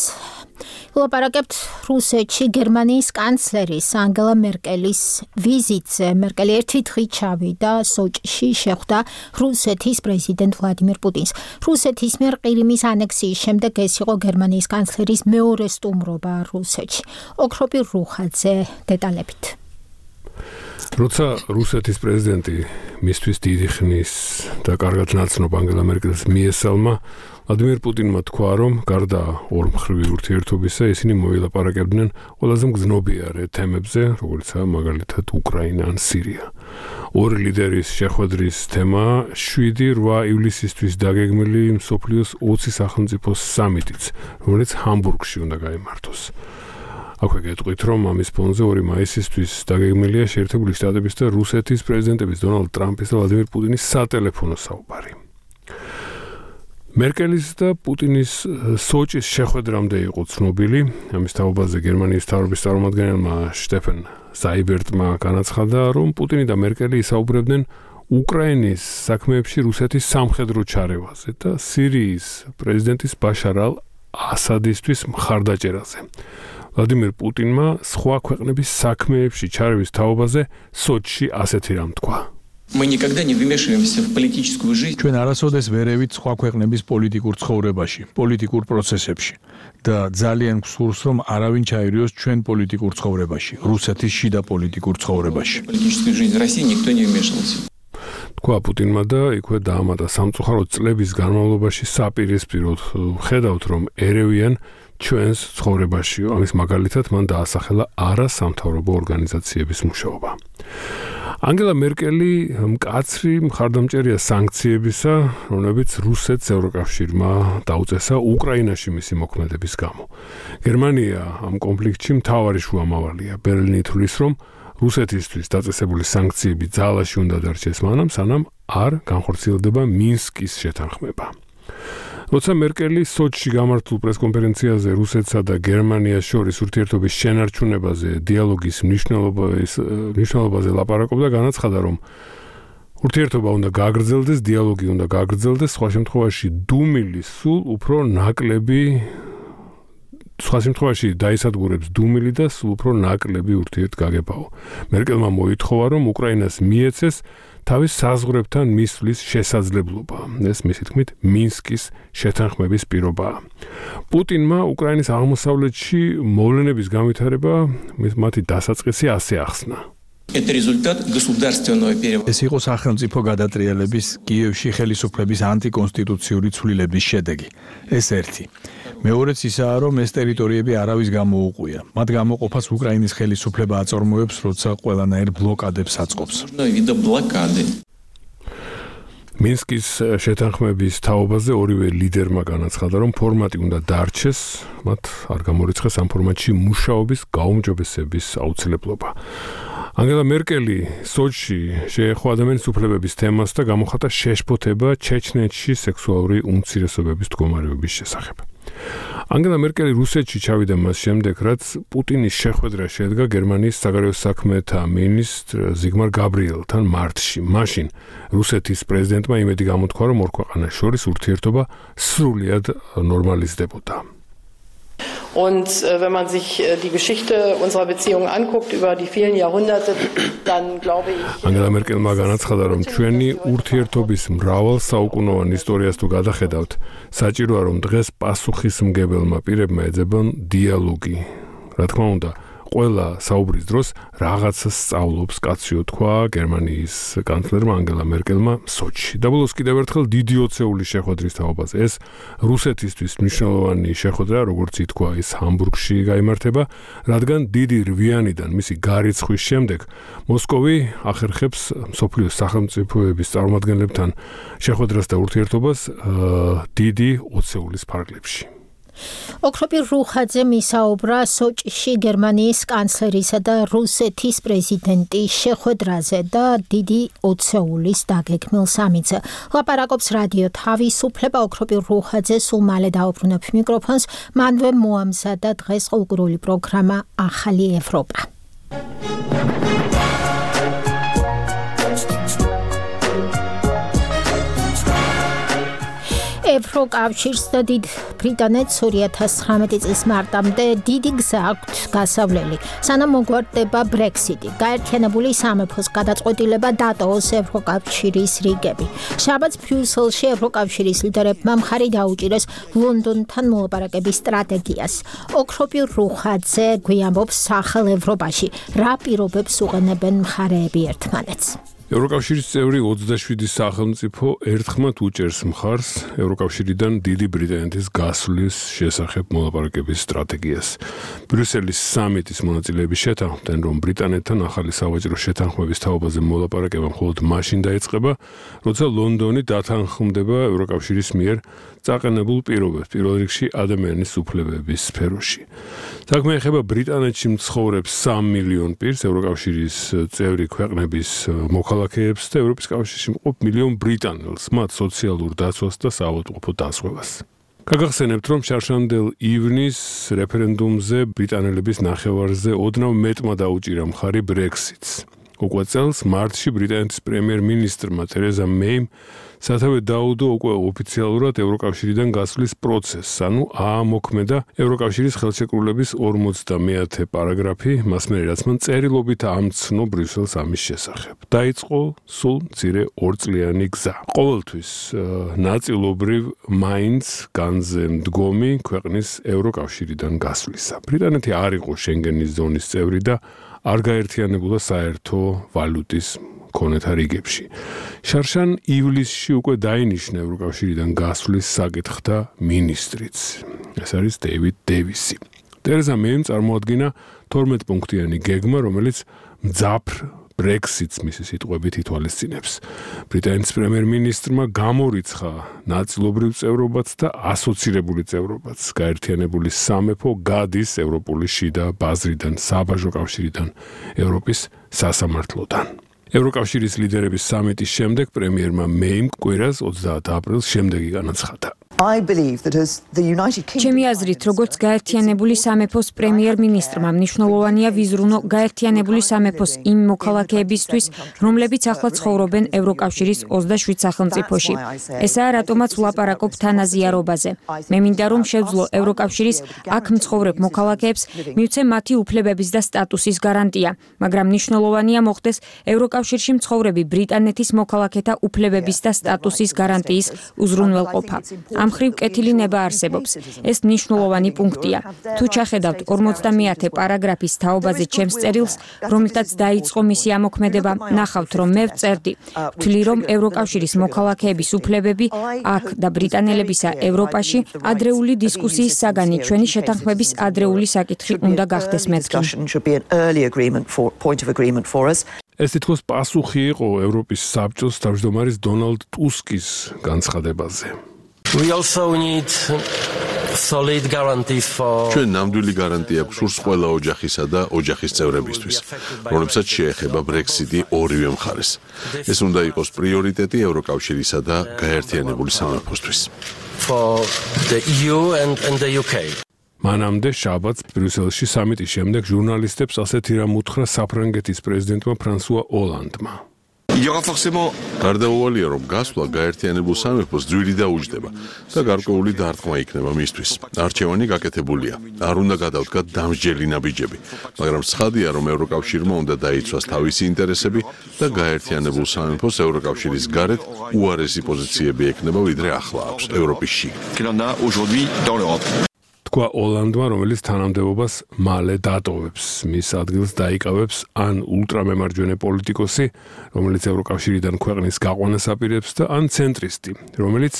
Speaker 2: ვლაპარაკებთ რუსეთში გერმანიის კანცლერის ანგელა მერკელის ვიზიტზე. მერკელი ერთი დღით ჩავიდა სოჭში, შეხვდა რუსეთის პრეზიდენტ ვლადიმირ პუტინს. რუსეთის მიერ ყირიმის ანექსიის შემდეგ ეს იყო გერმანიის კანცლერის მეორე სტუმრობა რუსეთში. ოქროპი რუხაძე დეტალებით.
Speaker 3: როცა რუსეთის პრეზიდენტი მისთვის დიდი ხნის და კარგად ნაცნობ ანგელა მერკელს მიესალმა, ვლადიმირ პუტინმა თქვა, რომ გარდა ორმხრივი ურთიერთობისა, ისინი მოილაპარაკებდნენ ყველაზე მგრძნობიარე თემებზე, როგორიცაა მაგალითად უკრაინა ან სირია. ორი ლიდერის შეხვედრის თემა შვიდი რვა ივლისისთვის დაგეგმილი მსოფლიოს ოცი სახელმწიფოს სამიტიც, რომელიც ჰამბურგში უნდა გაიმართოს. აქვე გეტყვით, რომ ამის ფონზე ორი მაისისთვის დაგეგმილია შეერთებული შტატების და რუსეთის პრეზიდენტების დონალდ ტრამპის და ვლადიმირ პუტინის სატელეფონო საუბარი. მერკელის და პუტინის სოჭის შეხვედრამდე იყო ცნობილი. ამის თაობაზე გერმანიის მთავრობის წარმომადგენელმა შტეფენ ზაიბერტმა განაცხადა, რომ პუტინი და მერკელი ისაუბრებდნენ უკრაინის საქმეებში რუსეთის სამხედრო ჩარევაზე და სირიის პრეზიდენტის ბაშარ ალ-ასადისთვის მხარდაჭერაზე. ვლადიმირ პუტინმა სხვა ქვეყნების საქმეებში ჩარევის თაობაზე სოჭში ასეთი რამ თქვა.
Speaker 28: ჩვენ არასოდეს ვერევით სხვა ქვეყნების პოლიტიკურ ცხოვრებაში, პოლიტიკურ პროცესებში და ძალიან გსურს, რომ არავინ ჩაერიოს ჩვენ პოლიტიკურ ცხოვრებაში, რუსეთის შიდა პოლიტიკურ ცხოვრებაში.
Speaker 3: თქვა პუტინმა და იქვე დაამატა, სამწუხაროდ წლების განმავლობაში საპირისპიროდ ხედავთ, რომ ერევიან ჩვენს ცხოვრებაში. ამის მაგალითად მან დაასახელა არასამთავრობო ორგანიზაციების მუშაობა. ანგელა მერკელი მკაცრი მხარდამჭერია სანქციებისა, რომლებიც რუსეთს ევროკავშირმა დაუწესა უკრაინაში მისი მოქმედების გამო. გერმანია ამ კონფლიქტში მთავარი შუამავალია. ბერლინი თვლის, რომ რუსეთისთვის დაწესებული სანქციები ძალაში უნდა დარჩეს მანამ, სანამ არ განხორციელდება მინსკის შეთანხმება. როცა მერკელი სოჩში გამართულ პრესკონფერენციაზე რუსეთსა და გერმანიას შორის ურთიერთობის შენარჩუნებაზე, დიალოგის მნიშვნელობაზე ლაპარაკობდა, განაცხადა, რომ ურთიერთობა უნდა გაგრძელდეს, დიალოგი უნდა გაგრძელდეს, სხვა შემთხვევაში დუმილი სულ უფრო ნაკლები სხვა შემთხვევაში დაისადგურებს დუმილი და სულ უფრო ნაკლები ურთიერთგაგებაო. მერკელმა მოითხოვა, რომ უკრაინას მიეცეს თავის საზღვრებთან მისვლის შესაძლებლობა. ეს მისი თქმით მინსკის შეთანხმების პირობაა. პუტინმა უკრაინის აღმოსავლეთში მოვლენების განვითარება მათი დასაწყისი ასე ახსნა.
Speaker 5: ეს იყო სახელმწიფო გადატრიალების კიევში ხელისუფლების ანტიკონსტიტუციური ცვლილების შედეგი. ეს ერთი. მეორეც ისაა, რომ ეს ტერიტორიები არავის გამოუყვია. მათ გამოყოფას უკრაინის ხელისუფლება აწარმოებს, როცა ყველანაირ ბლოკადებს აწყობს.
Speaker 3: მინსკის შეთანხმების თაობაზე ორივე ლიდერმა განაცხადა, რომ ფორმატი უნდა დარჩეს, მათ არ გამორიცხეს ამ ფორმატში მუშაობის გაუმჯობესების აუცილებლობა. ანგელა მერკელი სოჩში შეეხო ადამიანის უფლებების თემას და გამოხატა შეშფოთება ჩეჩნეთში სექსუალური უმცირესობების მდგომარეობის შესახებ. ანგელა მერკელი რუსეთში ჩავიდა მას შემდეგ, რაც პუტინის შეხვედრა შედგა გერმანიის საგარეო საქმეთა მინისტრ ზიგმარ გაბრიელთან მარტში. მაშინ რუსეთის პრეზიდენტმა იმედი გამოთქვა, რომ ორ ქვეყანას შორის ურთიერთობა სრულად ნორმალიზდებოდა.
Speaker 6: Und äh, wenn man sich äh, die Geschichte unserer Beziehungen anguckt über die vielen Jahrhunderte, dann glaube ich...
Speaker 3: ანგელა მერკელმა განაცხადა, რომ ჩვენი ურთიერთობის მრავალ საუკუნოვან ისტორიას თუ გადახედავთ, საჭიროა, რომ დღეს პასუხისმგებელმა პირებმა ეძებონ დიალოგი. რა თქმა უნდა, ყველა საუბრის დროს რაღაცას სწავლობს, კაციო თქვა გერმანიის კანცლერმა ანგელა მერკელმა სოჩში. დაბოლოს კიდევ ერთხელ დიდი ოცეული შეხვედრის თაობაზე. ეს რუსეთისთვის მნიშვნელოვანი შეხვედრა, როგორც ითქვა, ის ჰამბურგში გაიმართება, რადგან დიდი რვიანიდან მისი გარიცხვის შემდეგ მოსკოვი ახერხებს მსოფლიოს სახელმწიფოების წარმომადგენლებთან შეხვედრას და ურთიერთობას დიდი ოცეულის ფარგლებში.
Speaker 2: ოქროპირ რუხაძე მისაუბრა სოჭში გერმანიის კანცლერისა და რუსეთის პრეზიდენტის შეხვედრაზე და დიდი ოცეულის დაგეგმილ სამიტზე. ლაპარაკობს რადიო თავისუფლება. ოქროპირ რუხაძე სულ მალე დაუბრუნებ მიკროფონს. მანვე მოამზადა დღეს ყურული პროგრამა ახალი ევროპა. ევროკავშირს და დიდ ბრიტანეთს ორი ათას ცხრამეტი წლის მარტამდე დიდი გზა აქვთ გასავლელი. სანამ მოგვარდება ბრექსიტი, გაერთიანებული სამეფოს გადაწყვეტილება დატოვოს ევროკავშირის რიგები. შაბათს ბრიუსელში ევროკავშირის ლიდერებმა მხარი დაუჭირეს ლონდონთან მოლაპარაკების სტრატეგიას. ოქროპირ რუხაძე გვიამბობს ახალ ევროპაში რა პირობებს უყენებენ მხარეები ერთმანეთს.
Speaker 3: ევროკავშირის წევრი ოცდაშვიდი სახელმწიფო ერთხმად უჭერს მხარს ევროკავშირიდან დიდი ბრიტანეთის გასვლის შესახებ მოლაპარაკების სტრატეგიას. ბრიუსელის სამიტის მონაწილეები შეთანხმდნენ, რომ ბრიტანეთთან ახალი სავაჭრო შეთანხმების თაობაზე მოლაპარაკება მხოლოდ მაშინ დაიწყება, როცა ლონდონი დათანხმდება ევროკავშირის მიერ წაყენებულ პირობებს, პირველ რიგში ადამიანის უფლებების სფეროში. საქმე ეხება ბრიტანეთში მცხოვრებს სამ მილიონ პირს, ევროკავშირის წევრი ქვეყნების მოქალაქეებს და ევროპის კავშირში მყოფ მილიონ ბრიტანელს, მათ სოციალურ დაცვას და საავადმყოფო დაზღვევას. გაგახსენებთ, რომ შარშანდელ ივნის რეფერენდუმზე ბრიტანელების ნახევარზე ოდნავ მეტმა დაუჭირა მხარი ბრექსიტს. უკვე წელს მარტში ბრიტანეთის პრემიერ-მინისტრმა თერეზა მეიმ სათავე დაუდო უკვე ოფიციალურად ევროკავშირიდან გასვლის პროცესს, ანუ აამოქმედა ევროკავშირის ხელშეკრულების ორმოცდამეათე პარაგრაფი, მას მერე რაც მან წერილობით ამცნო ბრიუსელს ამის შესახებ. დაიწყო სულ მცირე ორწლიანი გზა. ყოველთვის ნაწილობრივ მაინც განზე მდგომი ქვეყნის ევროკავშირიდან გასვლისა. ბრიტანეთი არ იყო შენგენის ზონის წევრი და არ გაერთიანებულა საერთო ვალუტის მონეტარ რიგებში. შარშან ივლისში უკვე დაინიშნა ევროკავშირიდან გასვლის საკითხთა მინისტრიც. ეს არის დეივიდ დევისი. თერეზა მეიმ წარმოადგინა თორმეტ პუნქტიანი გეგმა, რომელიც მძაფრ Brexit-ს მისი სიტყვებით ითვალისწინებს. ბრიტანეთის პრემიერ-მინისტრმა გამორიცხა ნაწილობრივ წევრობაც და ასოცირებული წევრობაც. გაერთიანებული სამეფო გადის ევროპული შიდა ბაზრიდან, საბაჟო კავშირიდან, ევროპის სასამართლოდან. ევროკავშირის ლიდერების სამიტის შემდეგ პრემიერმა მეიმ კვირას ოცდაათ აპრილს შემდეგი განაცხადა.
Speaker 7: ჩემი აზრით, როგორც გაერთიანებული სამეფოს პრემიერ-მინისტრმა მნიშვნელოვანია ვიზრუნო გაერთიანებული სამეფოს იმ მოქალაქეებისთვის, რომლებიც ახლა ცხოვრობენ ევროკავშირის ოცდაშვიდ სახელმწიფოში. ესაა რატომაც ვლაპარაკობ თანაზიარობაზე. მე მინდა რომ შევძლო ევროკავშირის აქ მცხოვრებ მოქალაქეებს მივცე მათი უფლებების და სტატუსის გარანტია, მაგრამ მნიშვნელოვანია მოხდეს ევროკავშირში მცხოვრები ბრიტანეთის მოქალაქეთა უფლებების და სტატუსის გარანტიის უზრუნველყოფა. ამ ხრივ კეთილი ნება არსებობს. ეს მნიშვნელოვანი პუნქტია. თუ ჩახედავთ ორმოცდამეათე პარაგრაფის თაობაზე ჩემს წერილს, რომლითაც დაიწყო მისი ამოქმედება, ნახავთ, რომ მე ვწერდი, ვთვლი, რომ ევროკავშირის მოქალაქეების უფლებები აქ და ბრიტანელებისა ევროპაში ადრეული დისკუსიის საგანი ჩვენი შეთანხმების ადრეული საკითხი უნდა გახდეს მეთქი.
Speaker 3: ეს თითქოს პასუხი იყო ევროპის საბჭოს თავმჯდომარის დონალდ ტუსკის განცხადებაზე.
Speaker 9: We also need solid guarantees for
Speaker 1: ჩვენ ნამდვილი გარანტია გვსურს ყველა ოჯახისა და ოჯახის წევრებისთვის, რომლებსაც შეეხება Brexit-ი ორივე მხარეს. ეს უნდა იყოს პრიორიტეტი ევროკავშირისა და გაერთიანებული სამეფოსთვის.
Speaker 9: For the E U and, and the U K.
Speaker 3: მანამდე შაბათს ბრიუსელში სამიტის შემდეგ ჟურნალისტებს ასეთი რამ უთხრა საფრანგეთის პრეზიდენტმა ფრანსუა ოლანდმა.
Speaker 1: გარდაუვალია, რომ გასვლა გაერთიანებულ სამეფოს ძვირი დაუჯდება და გარკვეული დარტყმა იქნება მისთვის. არჩევანი გაკეთებულია. არ უნდა გადავდგათ დამსჯელი ნაბიჯები, მაგრამ ცხადია, რომ ევროკავშირმა უნდა დაიცვას თავისი ინტერესები და გაერთიანებულ სამეფოს ევროკავშირის გარეთ უარესი პოზიციები ექნება, ვიდრე ახლა აქვს ევროპის შიგნით.
Speaker 3: თქვა ოლანდმა, რომელიც თანამდებობას მალე დატოვებს. მის ადგილს დაიკავებს ან ულტრამემარჯვენე პოლიტიკოსი, რომელიც ევროკავშირიდან ქვეყნის გაყვანას აპირებს და ან ცენტრისტი, რომელიც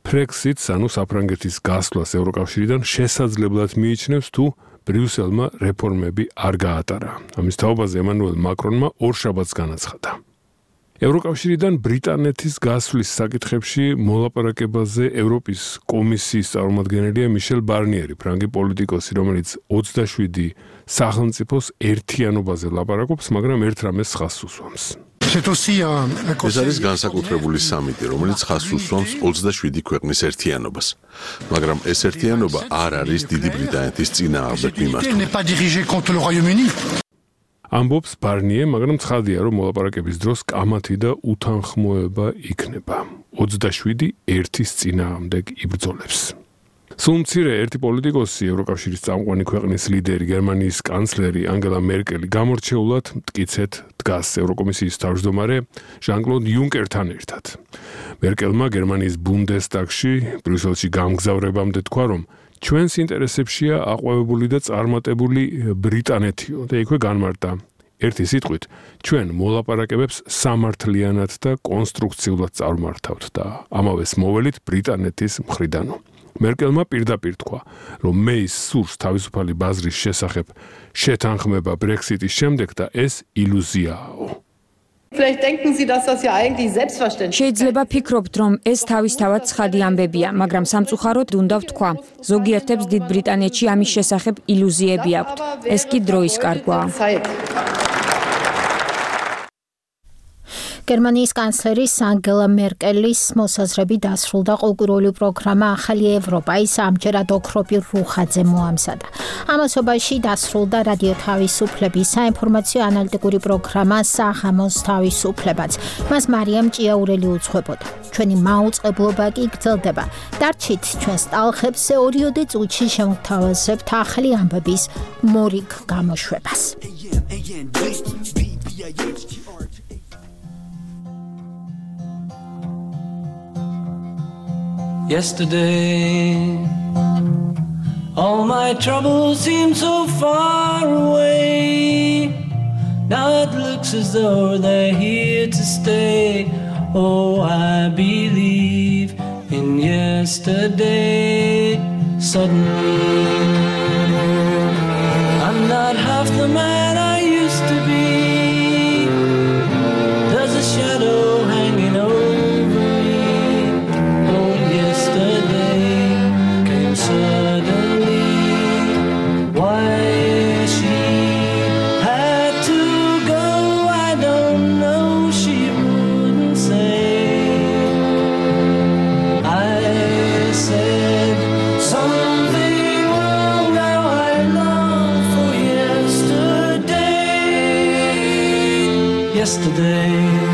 Speaker 3: Brexit-ს, ანუ საფრანგეთის გასვლას ევროკავშირიდან შესაძლებლად მიიჩნევს, თუ ბრიუსელმა რეფორმები არ გაატარა. ამის თაობაზე ემანუელ მაკრონმა ორშაბათს განაცხადა. ევროკავშირიდან ბრიტანეთის გასვლის საკითხებში მოლაპარაკებაზე ევროპის კომისიის წარმომადგენელია მიშელ ბარნიერი, ფრანგი პოლიტიკოსი, რომელიც ოცდაშვიდი სახელმწიფოს ერთიანობაზე ლაპარაკობს, მაგრამ ერთ რამეს ხაზს უსვამს.
Speaker 1: ეს არის განსაკუთრებული სამიტი, რომელიც ხაზს უსვამს ოცდაშვიდი ქვეყნის ერთიანობას, მაგრამ ეს ერთიანობა არ არის დიდი ბრიტანეთის წინააღმდეგ მიმართული.
Speaker 3: ამბობს ბარნიე, მაგრამ ცხადია, რომ მოლაპარაკების დროს კამათი და უთანხმოება იქნება. ოცდაშვიდი ერთის წინააღმდეგ იბრძოლებს. სულ მცირე ერთი პოლიტიკოსი, ევროკავშირის წამყვანი ქვეყნის ლიდერი, გერმანიის კანცლერი ანგელა მერკელი გამორჩეულად მტკიცედ დგას ევროკომისიის თავმჯდომარე ჟან-კლოდ იუნკერთან ერთად. მერკელმა გერმანიის ბუნდესტაგში ბრიუსელში გამგზავრებამდე თქვა, რომ ჩვენს ინტერესებშია აყვავებული და წარმატებული ბრიტანეთიო და იქვე განმარტა. ერთი სიტყვით, ჩვენ მოლაპარაკებებს სამართლიანად და კონსტრუქციულად წარმართავთ და ამავეს მოველით ბრიტანეთის მხრიდანო. მერკელმა პირდაპირ თქვა, რომ მეის სურს თავისუფალი ბაზრის შესახებ შეთანხმება Brexit-ის შემდეგ და ეს ილუზიაა.
Speaker 7: შეიძლება ფიქრობთ, რომ ეს თავისთავად ცხადი ამბებია, მაგრამ სამწუხაროდ უნდა ვთქვა, ზოგიერთებს დიდ ბრიტანეთში ამის შესახებ ილუზიები აქვთ. ეს კი დროის კარგვაა.
Speaker 2: გერმანიის კანცლერის ანგელა მერკელის მოსაზრები დასრულდა ყოლკვირეული პროგრამა ახალი ევროპა ის ამჯერად ოქროპირ რუხაძე მოამზადა. ამასობაში დასრულდა რადიო თავისუფლების საინფორმაციო ანალიტიკური პროგრამა საღამოს თავისუფლებაც. მას მარიამ ჭიაურელი უძღვებოდა. ჩვენი მაუწყებლობა კი გრძელდება. დარჩით ჩვენს ტალხებზე ორიოდე წუთში შევთავაზებთ ახალი ამბების მორიგ გამოშვებას.
Speaker 15: Yesterday, all my troubles seem so far away. Now it looks as though they're here to stay. Oh, I believe in yesterday. Suddenly, I'm not half the man I used to be. yesterday.